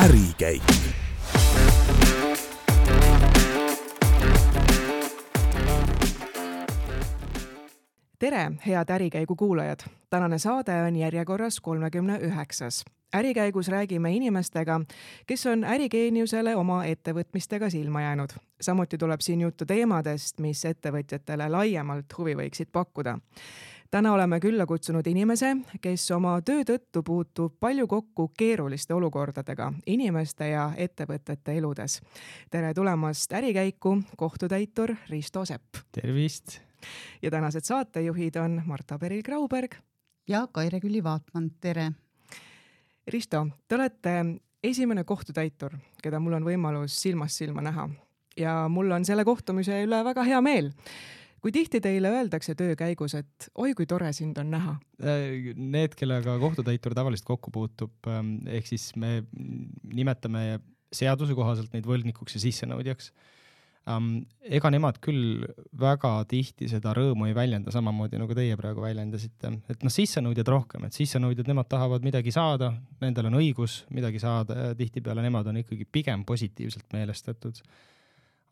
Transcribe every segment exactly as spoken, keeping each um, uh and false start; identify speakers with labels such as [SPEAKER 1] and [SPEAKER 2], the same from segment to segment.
[SPEAKER 1] ärikäik.
[SPEAKER 2] Tere, head ärikäigu kuulajad! Tänane saade on järjekorras kolmekümne üheksas. Ärikäigus räägime inimestega, kes on ärigeeniusele oma ettevõtmistega silma jäänud. Samuti tuleb siin juttu teemadest, mis ettevõtjatele laiemalt huvi võiksid pakkuda. Täna oleme külla kutsunud inimese, kes oma töö tõttu puutub palju kokku keeruliste olukordadega inimeste ja ettevõtete eludes. Tere tulemast ärikäiku, kohtutäitur Risto Sepp.
[SPEAKER 3] Tervist!
[SPEAKER 2] Ja tänased saatejuhid on Marta Peril-Grauberg
[SPEAKER 4] ja Kaire Külli-Vaatman. Tere!
[SPEAKER 2] Risto, te olete esimene kohtutäitur, keda mul on võimalus silmast silma näha. Ja mul on selle kohtumise üle väga hea meel. Kui tihti teile öeldakse töö käigus, et oi kui tore sind on näha?
[SPEAKER 3] Need, kellega kohtutäitur tavaliselt kokku puutub, ehk siis me nimetame seaduse kohaselt neid võlgnikuks ja sissenõudjaks. Um, ega nemad küll väga tihti seda rõõmu ei väljenda samamoodi, nagu teie praegu väljendasite. Et noh, sissenõudjad rohkem, et sissenõudjad, nemad tahavad midagi saada, nendel on õigus midagi saada ja tihtipeale nemad on ikkagi pigem positiivselt meelestatud.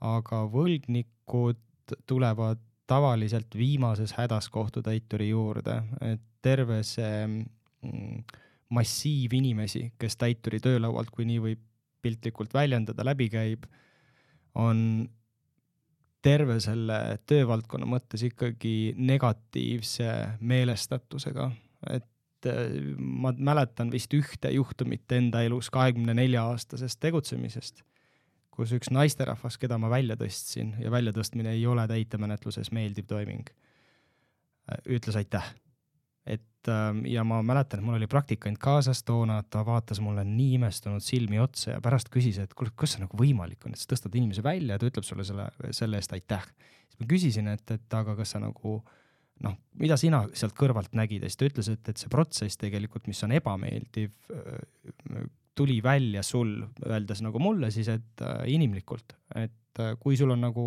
[SPEAKER 3] Aga võlgnikud tulevad tavaliselt viimases hädas kohtutäituri juurde, et terve see mm, massiiv inimesi, kes täituri töölaualt, kui nii võib piltlikult väljendada, läbi käib, on terve selle töövaldkonna mõttes ikkagi negatiivse meelestatusega. Et ma mäletan vist ühte juhtumit enda elus kahekümne nelja aastasest tegutsemisest, kus üks naisterahvas, keda ma välja tõstsin ja väljatõstmine ei ole täitemenetluses meeldiv toiming, ütles aitäh. Et, ja ma mäletan, et mul oli praktikant kaasas toona, ta vaatas mulle nii imestunud silmi otsa ja pärast küsis, et kus see nagu võimalik on, et sa tõstad inimese välja ja ta ütleb sulle selle, selle eest aitäh. Siis ma küsisin, et, et aga kas sa nagu, noh, mida sina sealt kõrvalt nägid? Ja siis ta ütles, et, et see protsess tegelikult, mis on ebameeldiv, tuli välja sul, öeldes nagu mulle siis, et inimlikult, et kui sul on nagu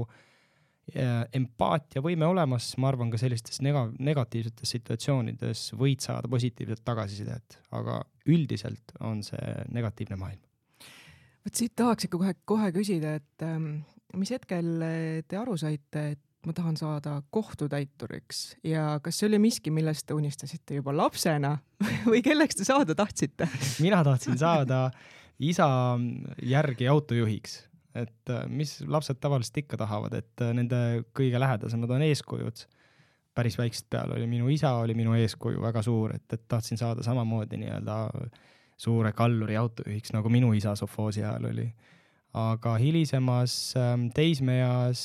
[SPEAKER 3] empaatia võime olemas, ma arvan ka sellistes nega- negatiivsetes situatsioonides võid saada positiivset tagasisidet, aga üldiselt on see negatiivne maailm.
[SPEAKER 2] Võt siit tahaks ikka kohe, kohe küsida, et ähm, mis hetkel te aru saite, et ma tahan saada kohtutäituriks ja kas see oli miski, millest te unistasite juba lapsena või kelleks te saada tahtsite?
[SPEAKER 3] Mina tahtsin saada isa järgi autojuhiks. Et mis lapsed tavaliselt ikka tahavad, et nende kõige lähedasemad on eeskujud. Päris väikselt peal oli minu isa, oli minu eeskuju väga suur, et, et tahtsin saada samamoodi nii-öelda suure kalluri autojuhiks, nagu minu isa sofoosi ajal oli. Aga hilisemas teismeeas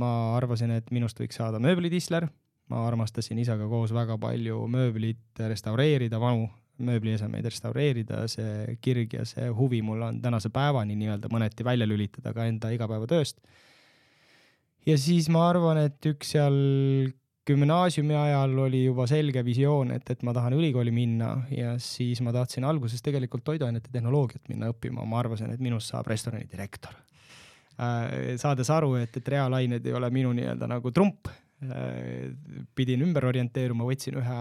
[SPEAKER 3] ma arvasin, et minust võiks saada mööblitisler. Ma armastasin isaga koos väga palju mööblit restaureerida, vanu mööbliesemeid restaureerida, see kirg ja see huvi mul on tänase päevani nii-öelda mõneti välja lülitada ka enda igapäevatööst. Ja siis ma arvan, et üks seal gümnaasiumi ajal oli juba selge visioon, et, et ma tahan ülikooli minna ja siis ma tahtsin alguses tegelikult toiduainete tehnoloogiat minna õppima. Ma arvasin, et minust saab restorani direktor. Saades aru, et, et reaalained ei ole minu nii-öelda nagu trump, pidin ümber orienteeruma, võtsin ühe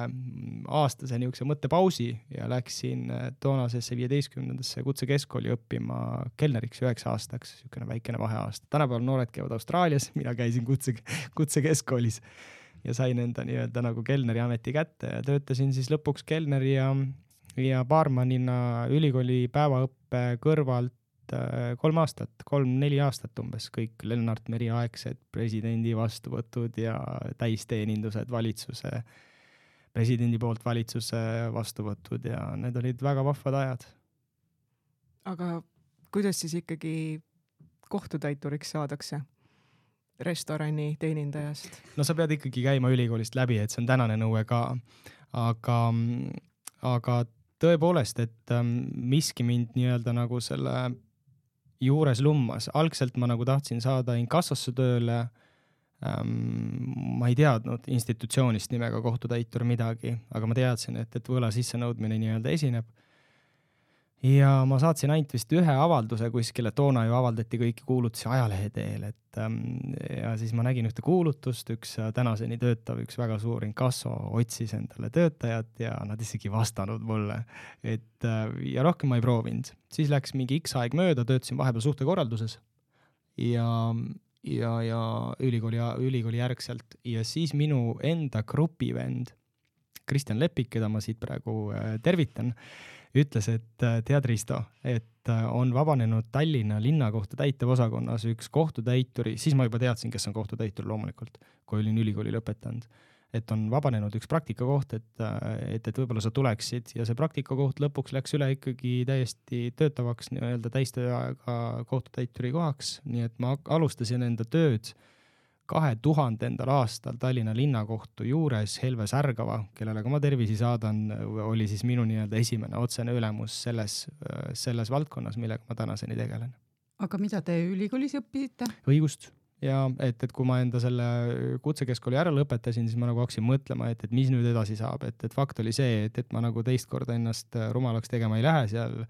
[SPEAKER 3] aastase niisuguse mõttepausi ja läksin toonasesse viieteistkümnendasse kutsekeskkooli õppima kelneriks üheksa aastaks, niisugune väikene vaheaasta. Tänapäeval noored käivad Austraalias, mina käisin kutse, kutsekeskkoolis ja sain enda nii-öelda nagu kelneri ameti kätte ja töötasin siis lõpuks kelneri ja, ja baarmanina ülikooli päevaõppe kõrvalt kolm aastat, kolm-neli aastat umbes, kõik Lennart Meri aegsed presidendi vastuvõtud ja täisteenindused valitsuse, presidendi poolt valitsuse vastuvõtud ja need olid väga vahvad ajad.
[SPEAKER 2] Aga kuidas siis ikkagi kohtutäituriks saadakse restorani teenindajast?
[SPEAKER 3] No sa pead ikkagi käima ülikoolist läbi, et see on tänane nõue ka, aga, aga tõepoolest, et miski mind nii-öelda nagu selle juures lummas. Algselt ma nagu tahtsin saada inkassosse tööle, ähm, ma ei teadnud institutsioonist nimega kohtutäitur midagi, aga ma teadsin, et, et võla sissenõudmine nii-öelda esineb. ja ma saatsin ainult vist ühe avalduse kuskile, toona ju avaldati kõiki kuulutusi ajalehe teel, et ähm, ja siis ma nägin ühte kuulutust, üks tänaseni töötav, üks väga suur inkasso otsis endale töötajat ja nad isegi vastanud mulle, et äh, ja rohkem ma ei proovinud. Siis läks mingi X aeg mööda, töötasin vahepeal suhtekorralduses ja, ja, ja ülikooli, ülikooli järgselt ja siis minu enda grupivend Kristjan Lepik, keda ma siit praegu äh, tervitan, ütles, et tead Risto, et on vabanenud Tallinna linnakohtu täitevosakonnas üks kohtutäituri, siis ma juba teadsin, kes on kohtutäitur loomulikult, kui olin ülikooli lõpetanud, et on vabanenud üks praktikakoht, et, et, et võib-olla sa tuleksid ja see praktikakoht lõpuks läks üle ikkagi täiesti töötavaks nii-öelda täistööaega kohtutäituri kohaks, nii et ma alustasin enda tööd kahe tuhandendal aastal Tallinna linnakohtu juures Helve Särgava, kellele ka ma tervisi saadan, oli siis minu nii-öelda esimene otsene ülemus selles, selles valdkonnas, millega ma tänaseni tegelen.
[SPEAKER 4] Aga mida te ülikoolis õppisite?
[SPEAKER 3] Õigust. Ja et, et kui ma enda selle kutsekeskkooli ära lõpetasin, siis ma nagu hakkasin mõtlema, et, et mis nüüd edasi saab. Et, et fakt oli see, et, et ma nagu teist korda ennast rumalaks tegema ei lähe seal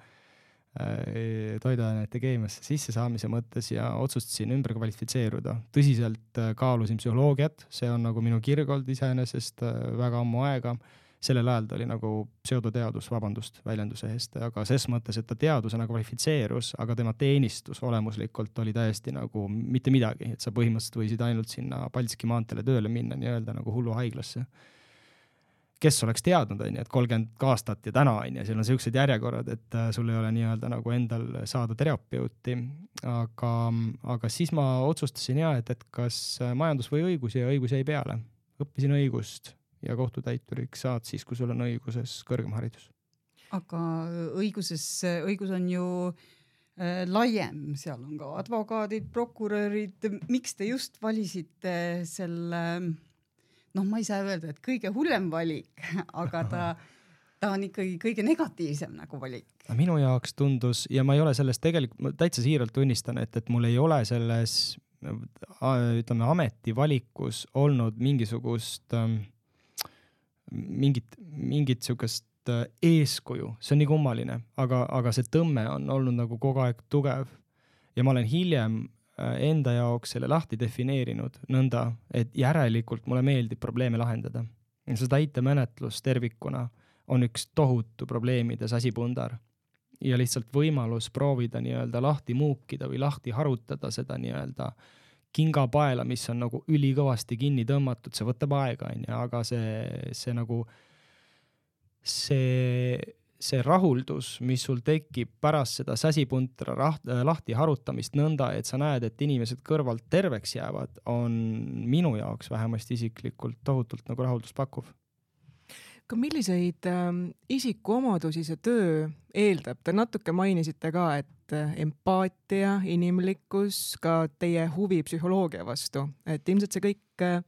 [SPEAKER 3] toiduainete keemiasse sisse saamise mõttes ja otsustasin ümber kvalifitseeruda. Tõsiselt kaalusin psühholoogiat, see on nagu minu kirgold iseenesest väga ammu aega. Sellel ajal ta oli nagu pseudoteadus, vabandust väljenduse eest, aga ses mõttes, et ta teadusena kvalifitseerus, aga tema teenistus olemuslikult oli täiesti nagu mitte midagi, et sa põhimõtteliselt võisid ainult sinna Paldiski maanteele tööle minna nii-öelda nagu hullu haiglasse. Kes oleks teadnud, on, et kolmkümmend aastat ja täna on ja seal on sellised järjekorrad, et sul ei ole nii-öelda nagu endal saada terapeuti, aga, aga siis ma otsustasin ja, et, et kas majandus või õigus ja õigus jäi peale. Õppisin õigust ja kohtutäituriks saad siis, kui sul on õiguses kõrgem haridus.
[SPEAKER 4] Aga õiguses, õigus on ju äh, laiem, seal on ka advokaadid, prokurörid, miks te just valisite selle noh, ma ei saa öelda, et kõige hullem valik, aga ta, ta on ikkagi kõige negatiivsem nagu valik.
[SPEAKER 3] Minu jaoks tundus, ja ma ei ole sellest tegelikult, ma täitsa siiralt tunnistan, et, et mul ei ole selles, ütleme, ametivalikus olnud mingisugust, mingit, mingit sukest eeskuju. See on nii kummaline, aga, aga see tõmme on olnud nagu kogu aeg tugev. Ja ma olen hiljem enda jaoks selle lahti defineerinud nõnda, et järelikult mulle meeldib probleeme lahendada. See täitemenetlus tervikuna on üks tohutu probleemides asipundar ja lihtsalt võimalus proovida nii-öelda lahti muukida või lahti harutada seda nii-öelda kingapaela, mis on nagu ülikõvasti kinni tõmmatud, see võtab aega, aga see, see nagu see see rahuldus, mis sul tekib pärast seda säsipuntra raht, lahti harutamist nõnda, et sa näed, et inimesed kõrvalt terveks jäävad, on minu jaoks vähemasti isiklikult tohutult nagu rahuldust pakkuv.
[SPEAKER 2] Ka milliseid äh, isikuomadusi see töö eeldab? Te natuke mainisite ka, et empaatia, inimlikkus, ka teie huvi psühholoogia vastu, et ilmselt see kõik äh,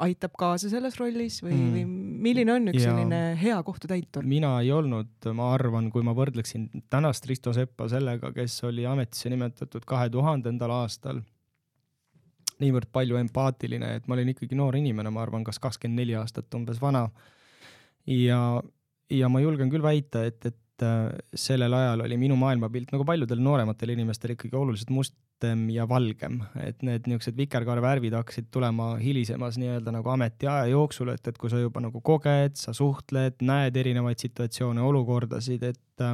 [SPEAKER 2] aitab kaasa selles rollis või, mm. või milline on üks ja selline hea kohtutäitur?
[SPEAKER 3] Mina ei olnud, ma arvan, kui ma võrdleksin tänast Risto Seppa sellega, kes oli ametisse nimetatud kahe tuhandendal aastal, niivõrd palju empaatiline, et ma olin ikkagi noor inimene, ma arvan, kas kakskümmend neli aastat umbes vana. Ja, ja ma julgen küll väita, et, et sellel ajal oli minu maailmapilt nagu paljudel noorematel inimestel ikkagi oluliselt mustem ja valgem, et need niisugused vikerkaarevärvid hakkasid tulema hilisemas nii-öelda nagu ametiaja jooksul, et, et kui sa juba nagu koged, sa suhtled, näed erinevaid situatsioone, olukordasid, et,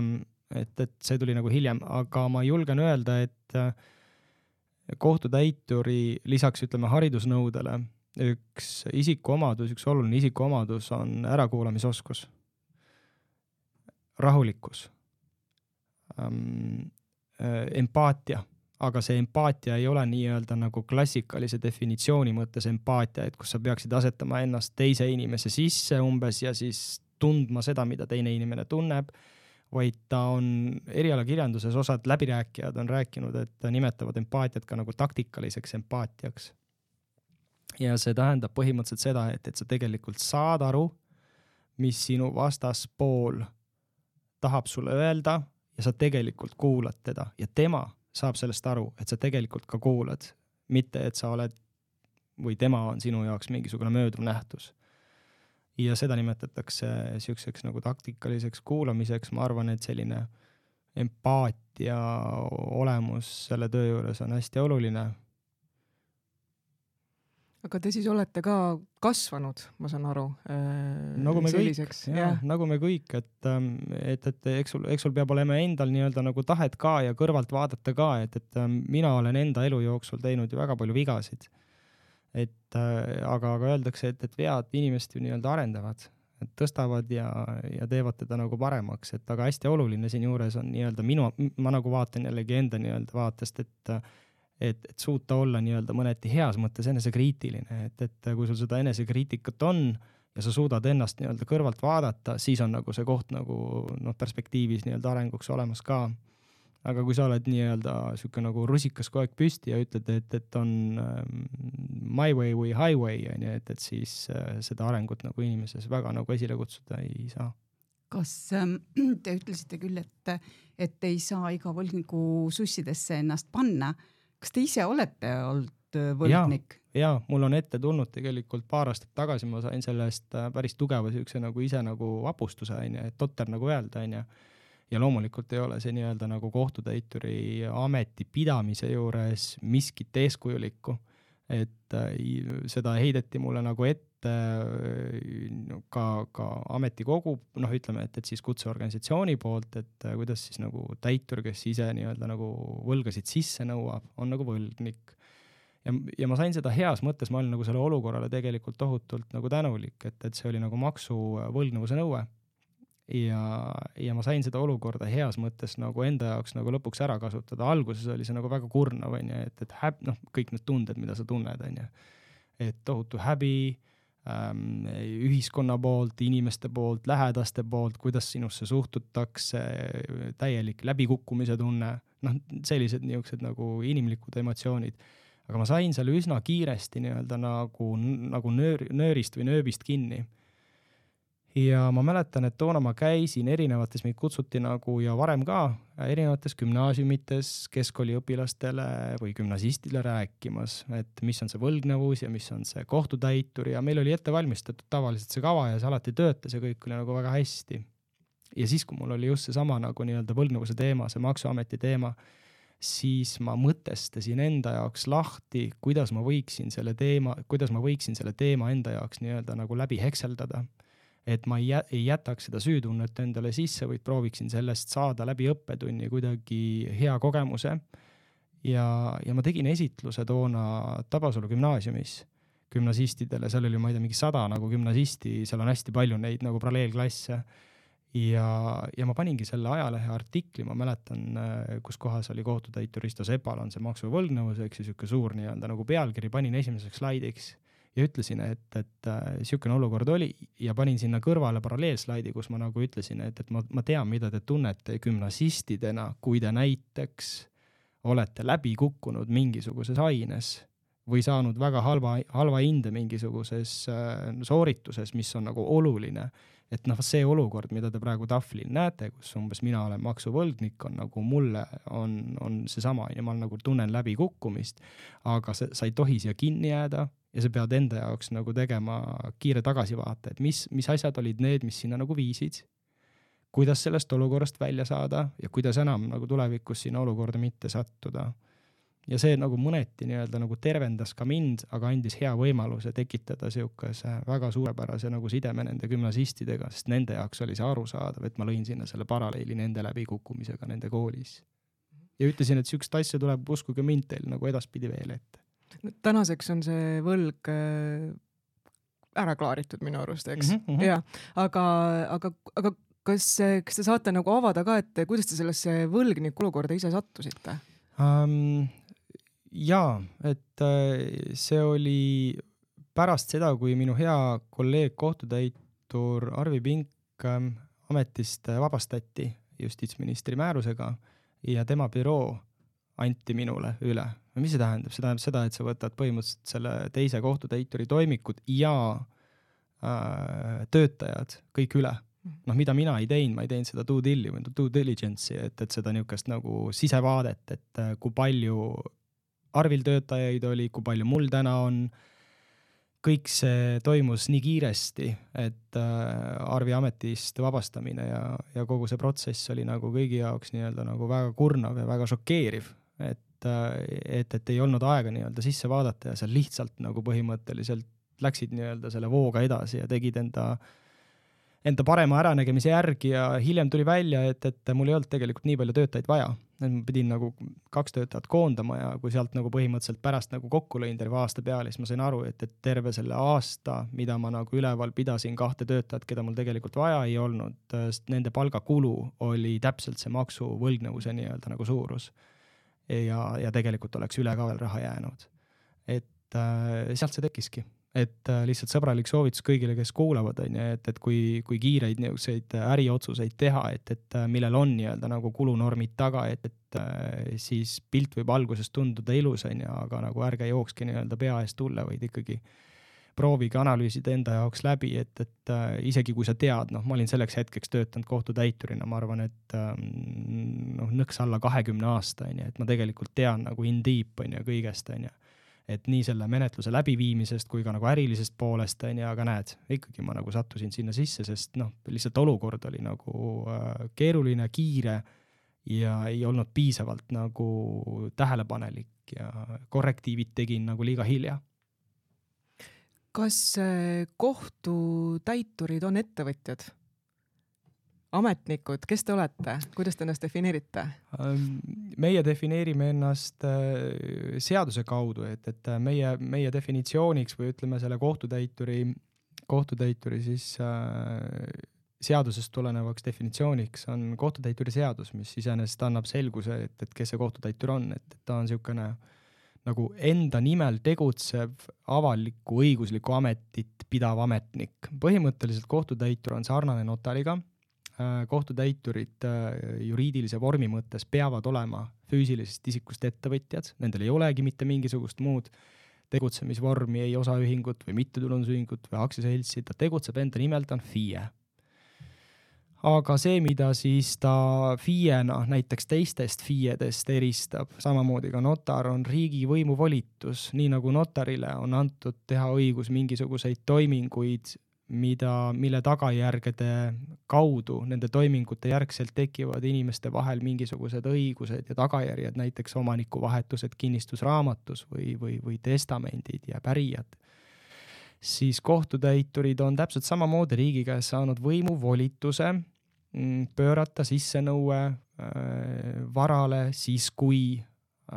[SPEAKER 3] et, et see tuli nagu hiljem, aga ma julgen öelda, et kohtutäituri lisaks ütleme haridusnõudele üks isikuomadus, üks oluline isikuomadus on ärakuulamisoskus. Rahulikkus, ähm, äh, empaatia, aga see empaatia ei ole nii-öelda nagu klassikalise definitsiooni mõttes empaatia, et kus sa peaksid asetama ennast teise inimese sisse umbes ja siis tundma seda, mida teine inimene tunneb, vaid ta on erialakirjanduses osad läbirääkijad on rääkinud, et nimetavad empaatiat ka nagu taktikaliseks empaatiaks. Ja see tähendab põhimõtteliselt seda, et, et sa tegelikult saad aru, mis sinu vastaspool tahab sulle öelda ja sa tegelikult kuulad teda ja tema saab sellest aru, et sa tegelikult ka kuulad, mitte et sa oled või tema on sinu jaoks mingisugune mööduv nähtus. Ja seda nimetatakse siukseks nagu taktikaliseks kuulamiseks, ma arvan, et selline empaatia olemus selle töö juures on hästi oluline.
[SPEAKER 2] Aga te siis olete ka kasvanud, ma saan aru,
[SPEAKER 3] nagu me
[SPEAKER 2] selliseks.
[SPEAKER 3] kõik, jah, nagu me kõik, et, et, et eks sul, eks sul peab olema endal nii-öelda nagu tahet ka ja kõrvalt vaadata ka, et, et mina olen enda elu jooksul teinud ju väga palju vigasid. Et, aga, aga öeldakse, et, et vead inimest ju nii-öelda arendavad, et tõstavad ja, ja teevad teda nagu paremaks, et aga hästi oluline siin juures on nii-öelda minu, ma nagu vaatan jällegi enda nii-öelda vaatest, et et, et suuta olla nii-öelda mõneti heas mõttes enesekriitiline, et, et kui sul seda enesekriitikat on ja sa suudad ennast nii-öelda kõrvalt vaadata, siis on nagu see koht nagu noh, perspektiivis nii-öelda arenguks olemas ka. Aga kui sa oled nii-öelda siuke nagu rusikas kogu aeg püsti ja ütled, et, et on my way või highway, et, et siis seda arengut nagu inimeses väga nagu esile kutsuda ei saa.
[SPEAKER 4] Kas ähm, te ütlesite küll, et, et ei saa iga võlgniku sussidesse ennast panna? Kas te ise olete olnud võlgnik?
[SPEAKER 3] Ja, ja, mul on ette tulnud tegelikult paar aastat tagasi, ma sain sellest päris tugeva siukse nagu ise nagu vapustuse, et totter nagu öelda, ja, ja loomulikult ei ole see nii-öelda nagu kohtutäituri ameti pidamise juures miskit eeskujulikku, et seda heideti mulle nagu ette ka, ka ametikogu, noh ütleme, et, et siis kutseorganisatsiooni poolt, et kuidas siis nagu täitur, kes ise nii-öelda nagu võlgasid sisse nõuab, on nagu võlgnik. Ja, ja ma sain seda heas mõttes, ma olin nagu selle olukorrale tegelikult tohutult nagu tänulik, et, et see oli nagu maksu võlgnevuse nõue. Ja, ja ma sain seda olukorda heas mõttes nagu enda jaoks nagu lõpuks ära kasutada. Alguses oli see nagu väga kurnav, et, et häb, noh, kõik need tunded, mida sa tunned, et tohutu häbi, Ähm, ühiskonna poolt, inimeste poolt, lähedaste poolt, kuidas sinusse suhtutakse, täielik läbikukkumise tunne, noh, sellised niisugused nagu inimlikud emotsioonid. Aga ma sain selle üsna kiiresti nii-öelda nagu, nagu nöör, nöörist või nööbist kinni. Ja ma mäletan, et toona ma käisin erinevates, meid kutsuti nagu ja varem ka erinevates gümnaasiumites keskkooliõpilastele või gümnasistile rääkimas, et mis on see võlgnevus ja mis on see kohtutäitur ja meil oli ette valmistatud tavaliselt see kava ja see alati töötas ja kõik oli nagu väga hästi. Ja siis, kui mul oli just see sama nagu nii-öelda võlgnevuse teema, see maksuameti teema, siis ma mõtestasin enda jaoks lahti, kuidas ma võiksin selle teema, kuidas ma võiksin selle teema enda jaoks nii-öelda nagu läbi hekseldada. Et ma ei jätaks seda süütunnet endale sisse, vaid prooviksin sellest saada läbi õppetunni kuidagi hea kogemuse. Ja, ja ma tegin esitluse toona Tabasalu gümnaasiumis gümnasistidele, seal oli, ma ei tea, mingi sada nagu gümnasisti, seal on hästi palju neid nagu paralleelklasse. Ja, ja ma paningi selle ajalehe artikli, ma mäletan, kus kohas oli kohtutäitur Risto Sepal on see maksuvõlgnevus, eks siis üks suur nii-öelda nagu pealkiri, panin esimeseks slaidiks. Ja ütlesin, et, et siukene olukord oli ja panin sinna kõrvale paralleelslaidi, kus ma nagu ütlesin, et, et ma, ma tean, mida te tunnete gümnasistidena, kui te näiteks olete läbi kukkunud mingisuguses aines või saanud väga halva, halva hinde mingisuguses soorituses, mis on nagu oluline. Et noh, see olukord, mida te praegu tahvlil näete, kus umbes mina olen maksuvõlgnik, on nagu mulle on, on see sama ja ma nagu tunnen läbi kukkumist, aga sa, sa ei tohi siia kinni jääda ja sa pead enda jaoks nagu tegema kiire tagasivaate, et mis, mis asjad olid need, mis sinna nagu viisid, kuidas sellest olukorrast välja saada ja kuidas enam nagu tulevikus sinna olukorda mitte sattuda. Ja see nagu mõneti nii-öelda nagu tervendas ka mind, aga andis hea võimaluse tekitada siukese väga suurepärase nagu sideme nende gümnasistidega, sest nende jaoks oli see arusaadav, et ma lõin sinna selle paralleeli nende läbikukkumisega nende koolis. Ja ütlesin, et siukest asja tuleb uskuge mind teil nagu edaspidi veel ette.
[SPEAKER 2] Tänaseks on see võlg ära klaaritud minu arust, eks? Mm -hmm. Ja, aga, aga, aga kas, kas te saate nagu avada ka, et kuidas te sellesse võlgniku olukorda ise sattusite?
[SPEAKER 3] Um, Jaa, et see oli pärast seda, kui minu hea kolleeg kohtutäitur Arvi Pink ametist vabastati justiitsministri määrusega ja tema büroo anti minule üle. Mis see tähendab? See tähendab seda, et sa võtad põhimõtteliselt selle teise kohtutäituri toimikud ja äh, töötajad kõik üle. Noh, mida mina ei teinud, ma ei teinud seda due dili või due diligence'i, et, et seda niukest nagu sisevaadet, et kui palju Arvil töötajaid oli, kui palju mul täna on, kõik see toimus nii kiiresti, et Arvi ametist vabastamine ja, ja kogu see protsess oli nagu kõigi jaoks nii-öelda nagu väga kurnav ja väga šokeeriv, et, et, et ei olnud aega nii-öelda sisse vaadata ja seal lihtsalt nagu põhimõtteliselt läksid nii-öelda selle vooga edasi ja tegid enda enda parema äranägemise järgi ja hiljem tuli välja, et, et mul ei olnud tegelikult nii palju töötajaid vaja. Et ma pidin nagu kaks töötajat koondama ja kui sealt nagu põhimõtteliselt pärast nagu kokku lõin terve aasta peale, siis ma sain aru, et, et terve selle aasta, mida ma nagu üleval pidasin kahte töötajat, keda mul tegelikult vaja ei olnud, nende palgakulu oli täpselt see maksuvõlgnevuse nii-öelda nagu suurus. Ja, ja tegelikult oleks üle ka veel raha jäänud. Et äh, sealt see tekkiski. Et lihtsalt sõbralik soovitus kõigile, kes kuulavad, on, et, et kui, kui kiireid niisuguseid äriotsuseid teha, et, et millel on nii-öelda nagu kulunormid taga, et, et siis pilt võib alguses tunduda ilus, on, aga nagu ärge jookski nii-öelda pea eest tulla, vaid ikkagi proovige analüüsida enda jaoks läbi, et, et isegi kui sa tead, noh, ma olin selleks hetkeks töötanud kohtutäiturina, ma arvan, et noh, nõks alla kahekümne aasta, on, et ma tegelikult tean nagu in deep, on, kõigest, on, et nii selle menetluse läbiviimisest kui ka nagu ärilisest poolest, ja aga näed, ikkagi ma nagu sattusin sinna sisse, sest noh, lihtsalt olukord oli nagu äh, keeruline, kiire ja ei olnud piisavalt nagu tähelepanelik ja korrektiivid tegin nagu liiga hilja.
[SPEAKER 2] Kas kohtutäiturid on ettevõtjad? Ametnikud, kes te olete? Kuidas te ennast defineerite?
[SPEAKER 3] Meie defineerime ennast seaduse kaudu, et, et meie, meie definitsiooniks või ütleme selle kohtutäituri, kohtutäituri siis äh, seadusest tulenevaks definitsiooniks on kohtutäituri seadus, mis iseenesest annab selguse, et, et kes see kohtutäitur on, et, et ta on niisugune nagu enda nimel tegutsev avaliku õigusliku ametit pidav ametnik. Põhimõtteliselt kohtutäitur on sarnane notariga. Kohtutäiturid juriidilise vormi mõttes peavad olema füüsilisest isikust ettevõtjad, nendel ei olegi mitte mingisugust muud tegutsemisvormi, ei osaühingut või mittetulundusühingut või aktsiaseltsi, ta tegutseb enda nimel, ta on F I E. Aga see, mida siis ta F I E-na näiteks teistest F I E-dest eristab, samamoodi ka notar on riigi võimuvolitus, nii nagu notarile on antud teha õigus mingisuguseid toiminguid, mida, mille tagajärgede kaudu nende toimingute järgselt tekivad inimeste vahel mingisugused õigused ja tagajärjed, näiteks omanikuvahetused kinnistusraamatus või, või, või testamendid ja pärijad, siis kohtutäiturid on täpselt samamoodi riigi käes saanud võimuvolituse pöörata sissenõue varale siis, kui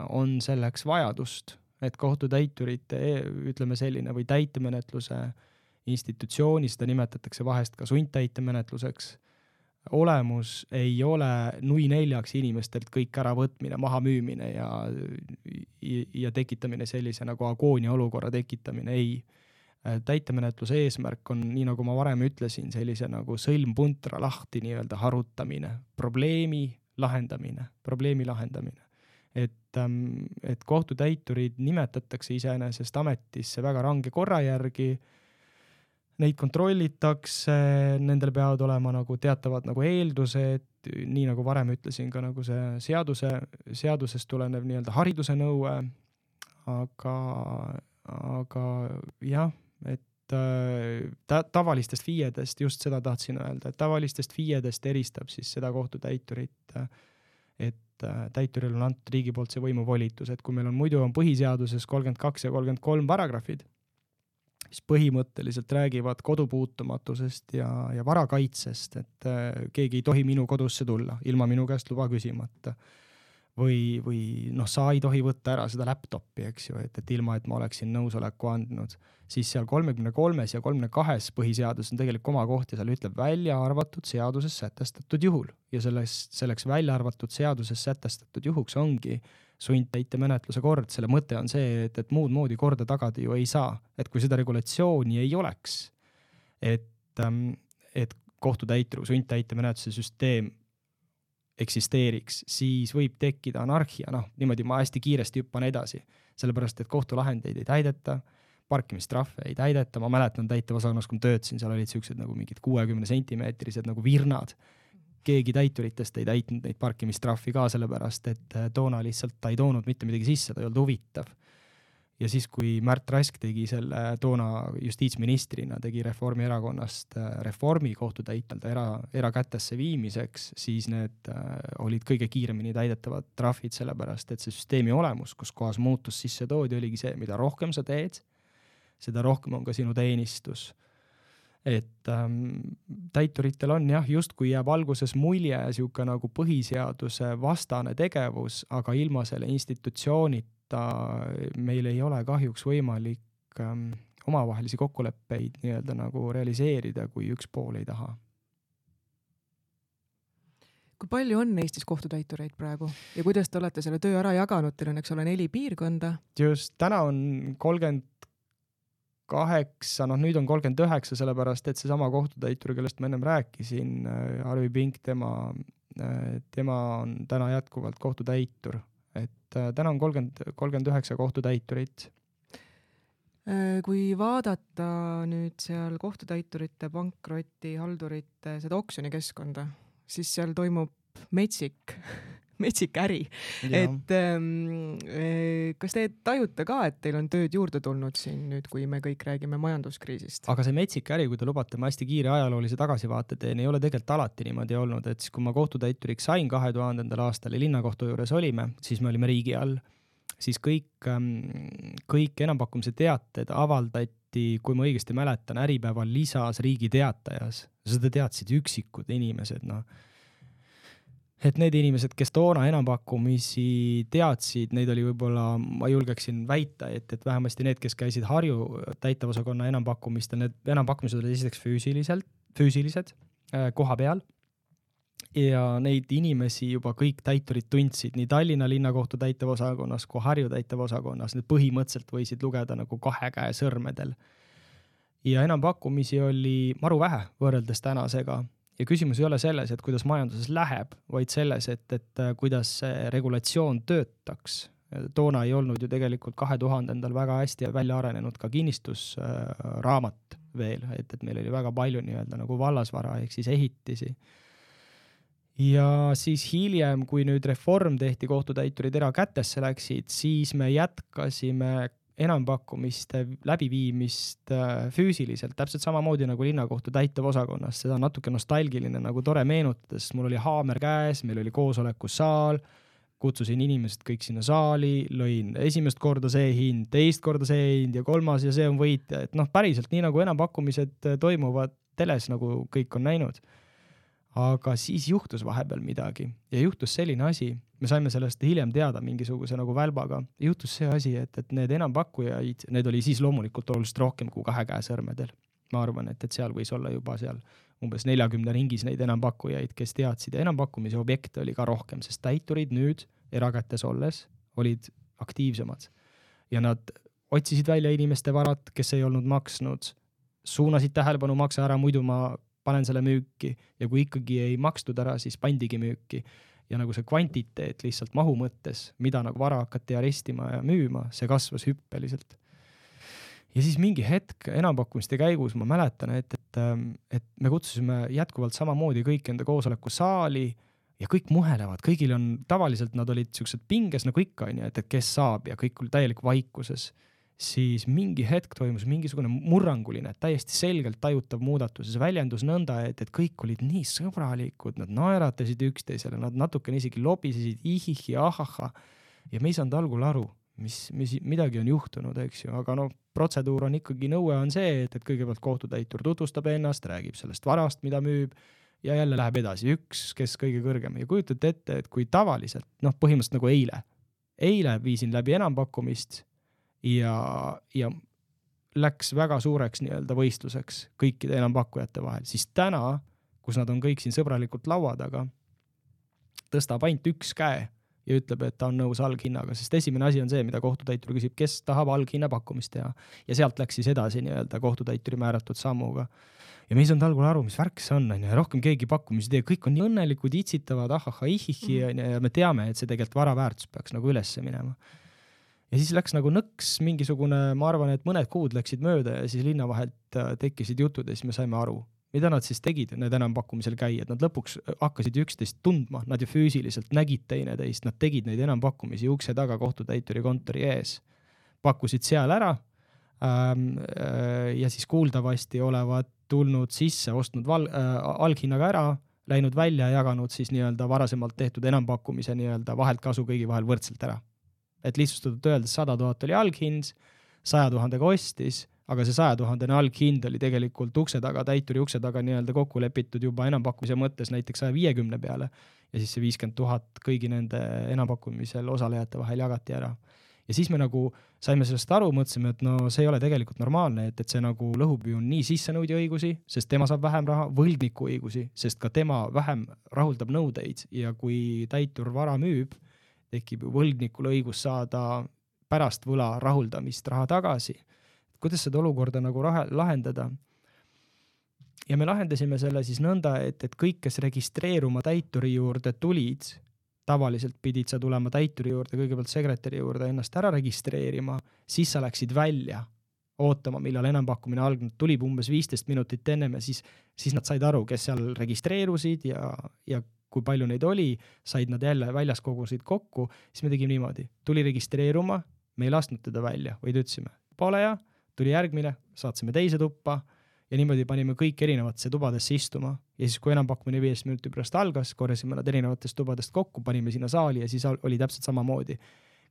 [SPEAKER 3] on selleks vajadust, et kohtutäiturite, ütleme selline, või täitemenetluse institutsiooni, seda nimetatakse vahest ka sundtäitemenetluseks. Olemus ei ole nui neljaks inimestelt kõik ära võtmine, maha müümine ja, ja tekitamine sellise nagu agoonia olukorra tekitamine, ei. Täitemenetluse eesmärk on, nii nagu ma varem ütlesin, sellise nagu sõlmpuntra lahti nii-öelda harutamine, probleemi lahendamine, probleemi lahendamine. Et, et kohtutäiturid nimetatakse iseenesest ametisse väga range korra järgi, neid kontrollitakse, nendel peavad olema nagu teatavad nagu eeldused, nii nagu varem ütlesin ka nagu see seaduse, seadusest tulenev nii-öelda hariduse nõue, aga, aga jah, et ta, tavalistest F I E-dest, just seda tahtsin öelda, et tavalistest F I E-dest eristab siis seda kohtutäiturit, et täituril on antud riigi poolt see võimuvolitus, et kui meil on muidu on põhiseaduses kolmkümmend kaks ja kolmkümmend kolm paragrahvid, mis põhimõtteliselt räägivad kodupuutumatusest ja, ja varakaitsest, et äh, keegi ei tohi minu kodusse tulla ilma minu käest luba küsimata. Või, või noh, sa ei tohi võtta ära seda laptopi, eks ju, et, et ilma, et ma oleksin nõusoleku andnud. Siis seal kolmekümne kolmes ja kolmekümne kahes põhiseadus on tegelikult oma koht ja seal ütleb välja arvatud seaduses sätestatud juhul. Ja selles, selleks välja arvatud seaduses sätestatud juhuks ongi sundtäitemenetluse kord, selle mõte on see, et, et muud moodi korda tagada ju ei saa. Et kui seda regulatsiooni ei oleks, et, et kohtutäitru sundtäitemenetluse süsteem eksisteeriks, siis võib tekkida anarhia, noh, niimoodi ma hästi kiiresti hüppan edasi, sellepärast, et kohtulahendeid ei täideta, parkimistrahve ei täideta, ma mäletan täitevosakonnast, kui töötasin, seal olid siuksed nagu mingid kuuekümne sentimeetrised nagu virnad, keegi täituritest ei täitnud neid parkimistrahvi ka sellepärast, et toona lihtsalt ta ei toonud mitte midagi sisse, ta ei olnud huvitav. ja siis, kui Märt Rask tegi selle toona justiitsministrina, tegi Reformierakonnast reformi kohtutäitmelda era, erakätesse viimiseks, siis need olid kõige kiiremini täidetavad trahvid, sellepärast et see süsteemi olemus, kus kohas muutus sisse toodi, oligi see, mida rohkem sa teed, seda rohkem on ka sinu teenistus. Et ähm, täituritel on jah, just kui jääb alguses mulje siuke nagu põhiseaduse vastane tegevus, aga ilma selle institutsioonita meil ei ole kahjuks võimalik ähm, omavahelisi kokkuleppeid nii-öelda nagu realiseerida, kui üks pool ei taha.
[SPEAKER 2] Kui palju on Eestis kohtutäitureid praegu ja kuidas te olete selle töö ära jaganud? Teil on, eks ole, neli piirkonda.
[SPEAKER 3] Just, täna on kolmkümmend kaheksa, noh nüüd on kolmkümmend üheksa, sellepärast, et see sama kohtutäitur, kellest ma ennem rääkisin, Arvi Pink, tema, tema on täna jätkuvalt kohtutäitur. Et täna on kolmkümmend, kolmkümmend üheksa kohtutäiturit.
[SPEAKER 2] Kui vaadata nüüd seal kohtutäiturite, pankroti, haldurite, seda oksjonikeskkonda, siis seal toimub metsik metsik äri. Ja. Et ähm, kas te tajute ka, et teil on tööd juurde tulnud siin nüüd, kui me kõik räägime majanduskriisist?
[SPEAKER 3] Aga see metsik äri, kui te lubate, ma hästi kiire ajaloolise tagasivaate teen, ei ole tegelikult alati niimoodi olnud, et siis kui ma kohtutäituriks sain kahe tuhandendal aastal ja linnakohtu juures olime, siis me olime riigi all, siis kõik, ähm, kõik enampakkumise teated avaldati, kui ma õigesti mäletan, Äripäeval lisas Riigi Teatajas. Seda teadsid üksikud inimesed, noh. Et need inimesed, kes toona enampakkumisi teadsid, neid oli võib-olla, ma julgeksin väita, et, et vähemasti need, kes käisid Harju täitevosakonna enampakkumistel, need enampakkumised olid esiteks füüsiliselt, füüsilised äh, koha peal ja neid inimesi juba kõik täiturid tundsid nii Tallinna linnakohtu täitevosakonnas kui Harju täitevosakonnas. Need põhimõtteliselt võisid lugeda nagu kahe käe sõrmedel. Ja enampakkumisi oli maru vähe võrreldes tänasega. Ja küsimus ei ole selles, et kuidas majanduses läheb, vaid selles, et, et kuidas see regulatsioon töötaks. Toona ei olnud ju tegelikult kahe tuhandendal väga hästi välja arenenud ka kinnistusraamat veel, et, et meil oli väga palju nii-öelda nagu vallasvara ehk siis ehitisi. Ja siis hiljem, kui nüüd reform tehti, kohtutäiturid erakätesse läksid, siis me jätkasime enampakkumiste läbiviimist füüsiliselt, täpselt samamoodi nagu linnakohtu täitevosakonnas. Seda on natuke nostalgiline nagu tore meenutades. Mul oli haamer käes, meil oli koosolekusaal, kutsusin inimesed kõik sinna saali, lõin esimest korda see hind, teist korda see hind ja kolmas ja see on võitja. Et noh, päriselt nii nagu enampakkumised toimuvad teles, nagu kõik on näinud. Aga siis juhtus vahepeal midagi ja juhtus selline asi, me saime sellest hiljem teada mingisuguse nagu välbaga, juhtus see asi, et, et need enampakkujaid, need oli siis loomulikult oluliselt rohkem kui kahe käe sõrmedel. Ma arvan, et, et seal võis olla juba seal umbes neljakümne ringis neid enampakkujaid, kes teadsid ja enampakkumise objekte oli ka rohkem, sest täiturid nüüd erakätes olles olid aktiivsemad ja nad otsisid välja inimeste varad, kes ei olnud maksnud, suunasid tähelepanu maksa ära, muidu ma panen selle müüki ja kui ikkagi ei makstud ära, siis pandigi müüki. Ja nagu see kvantiteet lihtsalt mahu mõttes, mida nagu vara hakati arestima ja müüma, see kasvas hüppeliselt. Ja siis mingi hetk enampakkumiste käigus ma mäletan, et, et, et me kutsusime jätkuvalt samamoodi kõik enda koosoleku saali ja kõik muhelevad, kõigil on, tavaliselt nad olid siuksed pinges nagu ikka, et, et kes saab ja kõik oli täielik vaikuses. Siis mingi hetk toimus mingisugune murranguline, täiesti selgelt tajutav muudatus. See väljendus nõnda, et, et kõik olid nii sõbralikud, nad naeratasid üksteisele, nad natuke isegi lobisesid ihihi, ahaha. Ja me ei saanud algul aru, mis, mis midagi on juhtunud, eks ju. Aga no, protseduur on ikkagi, nõue on see, et, et kõigepealt kohtutäitur tutvustab ennast, räägib sellest varast, mida müüb ja jälle läheb edasi üks, kes kõige kõrgem. Ja kujutate ette, et kui tavaliselt, noh põhimõtteliselt nagu eile, eile viisin läbi enampakkumist ja, ja läks väga suureks nii-öelda võistluseks kõikide enampakkujate vahel, siis täna, kus nad on kõik siin sõbralikult laua taga, tõstab ainult üks käe ja ütleb, et ta on nõus alghinnaga, sest esimene asi on see, mida kohtutäitur küsib, kes tahab alghinna pakkumist teha. Ja sealt läks siis edasi nii-öelda kohtutäituri määratud sammuga. Ja me ei saanud algul aru, mis värk see on, ja rohkem keegi pakkumisi tee, kõik on nii õnnelikud, itsitavad, ahaha, ihihi, ja me teame, et see tegelikult varaväärtus peaks nagu ülesse minema. Ja siis läks nagu nõks mingisugune, ma arvan, et mõned kuud läksid mööda ja siis linna vahelt tekkisid jutud ja siis me saime aru, mida nad siis tegid, need enampakkumisel käijad. Nad lõpuks hakkasid üksteist tundma, nad ju füüsiliselt nägid teineteist, nad tegid neid enampakkumisi ukse taga kohtutäituri kontori ees. pakkusid seal ära ähm, ja siis kuuldavasti olevat tulnud sisse, ostnud val, äh, alghinnaga ära, läinud välja ja jaganud siis nii-öelda varasemalt tehtud enampakkumise nii-öelda vahelt kasu kõigi vahel võrdselt ära. Et lihtsustatult öeldes sada tuhat oli alghind, saja tuhandega ostis, aga see saja tuhandene alghind oli tegelikult ukse taga, täituri ukse taga nii-öelda kokku lepitud juba enampakkumise mõttes näiteks saja viiekümne peale ja siis see viiskümmend tuhat kõigi nende enampakkumisel osalejate vahel jagati ära. Ja siis me nagu saime sellest aru, mõtlesime, et no see ei ole tegelikult normaalne, et, et see nagu lõhub ju nii sissenõudja õigusi, sest tema saab vähem raha, võlgniku õigusi, sest ka tema vähem rahuldab nõudeid ja kui täitur vara müüb, tekib ju võlgnikul õigus saada pärast võla rahuldamist raha tagasi. Kuidas seda olukorda nagu raha, lahendada? Ja me lahendasime selle siis nõnda, et, et kõik, kes registreeruma täituri juurde tulid, tavaliselt pidid sa tulema täituri juurde, kõigepealt sekretäri juurde ennast ära registreerima, siis sa läksid välja ootama, millal enampakkumine algnud, tulib umbes viisteist minutit ennem ja siis, siis nad said aru, kes seal registreerusid ja, ja kui palju neid oli, said nad jälle väljas kogusid kokku, siis me tegime niimoodi, tuli registreeruma, me ei lasknud teda välja, vaid ütlesime, pole ja, tuli järgmine, saatsime teise tuppa ja niimoodi panime kõik erinevatesse tubadesse istuma ja siis kui enampakkumine viies minuti pärast algas, korjasime nad erinevatest tubadest kokku, panime sinna saali ja siis oli täpselt samamoodi.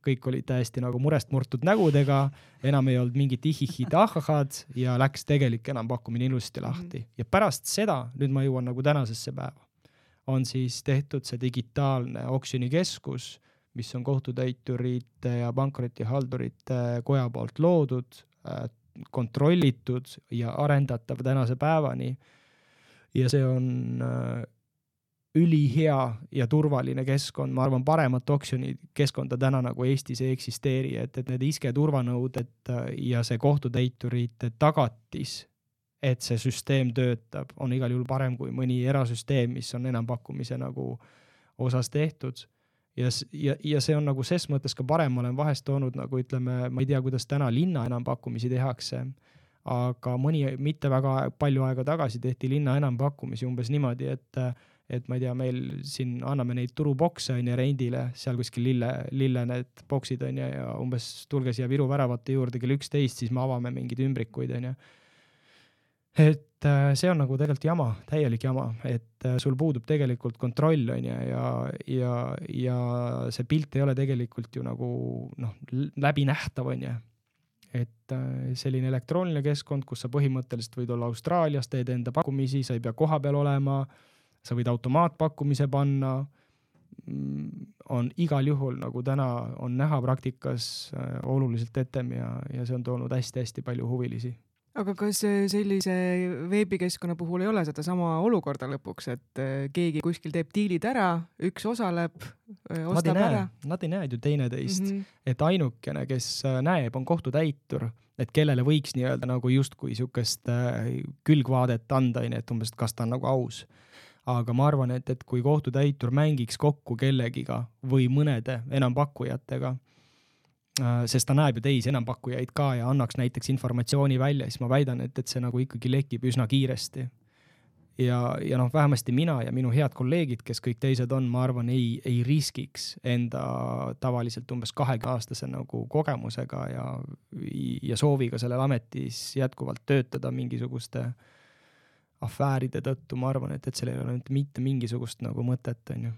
[SPEAKER 3] Kõik olid täiesti nagu murest murtud nägudega, enam ei olnud mingit ihihid ahahad ja läks tegelik enampakkumine ilusti lahti. Ja pärast seda, nüüd ma jõuan nagu tänasesse päeva, on siis tehtud see digitaalne oksjonikeskus, mis on kohtutäiturite ja pankrotihaldurite koja poolt loodud, kontrollitud ja arendatav tänase päevani. Ja see on ülihea ja turvaline keskkond. Ma arvan, paremat oksjoni keskkonda täna nagu Eestis ei eksisteeri, et, et need iske turvanõuded ja see kohtutäiturite tagatis, et see süsteem töötab, on igal juhul parem kui mõni erasüsteem, mis on enampakkumise nagu osas tehtud. Ja, ja, ja see on nagu ses mõttes ka parem, ma olen vahest toonud nagu ütleme, ma ei tea, kuidas täna linna enampakkumisi tehakse, aga mõni mitte väga palju aega tagasi tehti linna enampakkumisi umbes niimoodi, et, et ma ei tea, meil siin anname neid turubokse on ja rendile, seal kuskil lille, lille need boksid on ja, ja umbes tulge siia Viru väravate juurde kell üksteist, siis me avame mingid ümbrikuid on ja. Et see on nagu tegelikult jama, täielik jama, et sul puudub tegelikult kontroll on ja, ja, ja, ja see pilt ei ole tegelikult ju nagu noh, läbi nähtav on ja. Et selline elektrooniline keskkond, kus sa põhimõtteliselt võid olla Austraalias, teed enda pakkumisi, sa ei pea koha peal olema, sa võid automaatpakkumise panna, on igal juhul nagu täna on näha praktikas oluliselt etem ja, ja see on toonud hästi-hästi palju huvilisi.
[SPEAKER 2] Aga kas sellise veebikeskkonna puhul ei ole seda sama olukorda lõpuks, et keegi kuskil teeb diilid ära, üks osaleb, ostab
[SPEAKER 3] nad
[SPEAKER 2] ära?
[SPEAKER 3] Nad ei näe ju teineteist, mm -hmm. et ainukene, kes näeb, on kohtutäitur, et kellele võiks nii-öelda nagu justkui sihukest külgvaadet anda, et umbes, kas ta on nagu aus. Aga ma arvan, et, et kui kohtutäitur mängiks kokku kellegiga või mõnede enampakkujatega, sest ta näeb ju teisi enampakkujaid ka ja annaks näiteks informatsiooni välja, siis ma väidan, et, et see nagu ikkagi lekib üsna kiiresti. Ja, ja noh, vähemasti mina ja minu head kolleegid, kes kõik teised on, ma arvan, ei, ei riskiks enda tavaliselt umbes kahekümne aastase nagu kogemusega ja, ja sooviga sellel ametis jätkuvalt töötada mingisuguste afääride tõttu. Ma arvan, et, et sellel ei ole mitte mingisugust nagu mõtet. On ju.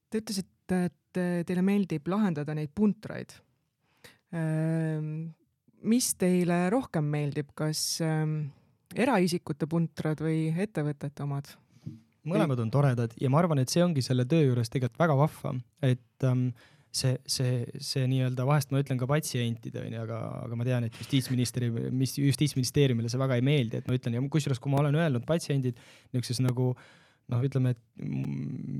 [SPEAKER 2] Te ütlesite, et teile meeldib lahendada neid puntraid. Mis teile rohkem meeldib, kas eraisikute puntrad või ettevõtete omad?
[SPEAKER 3] Mõlemad on toredad ja ma arvan, et see ongi selle töö juures tegelikult väga vahva, et um, see, see, see nii-öelda vahest ma ütlen ka patsientide, aga, aga ma tean, et justiitsministeerium, justiitsministeeriumile see väga ei meeldi, et ma ütlen, ja kusjuures kui ma olen öelnud patsiendid niisuguses nagu noh, ütleme, et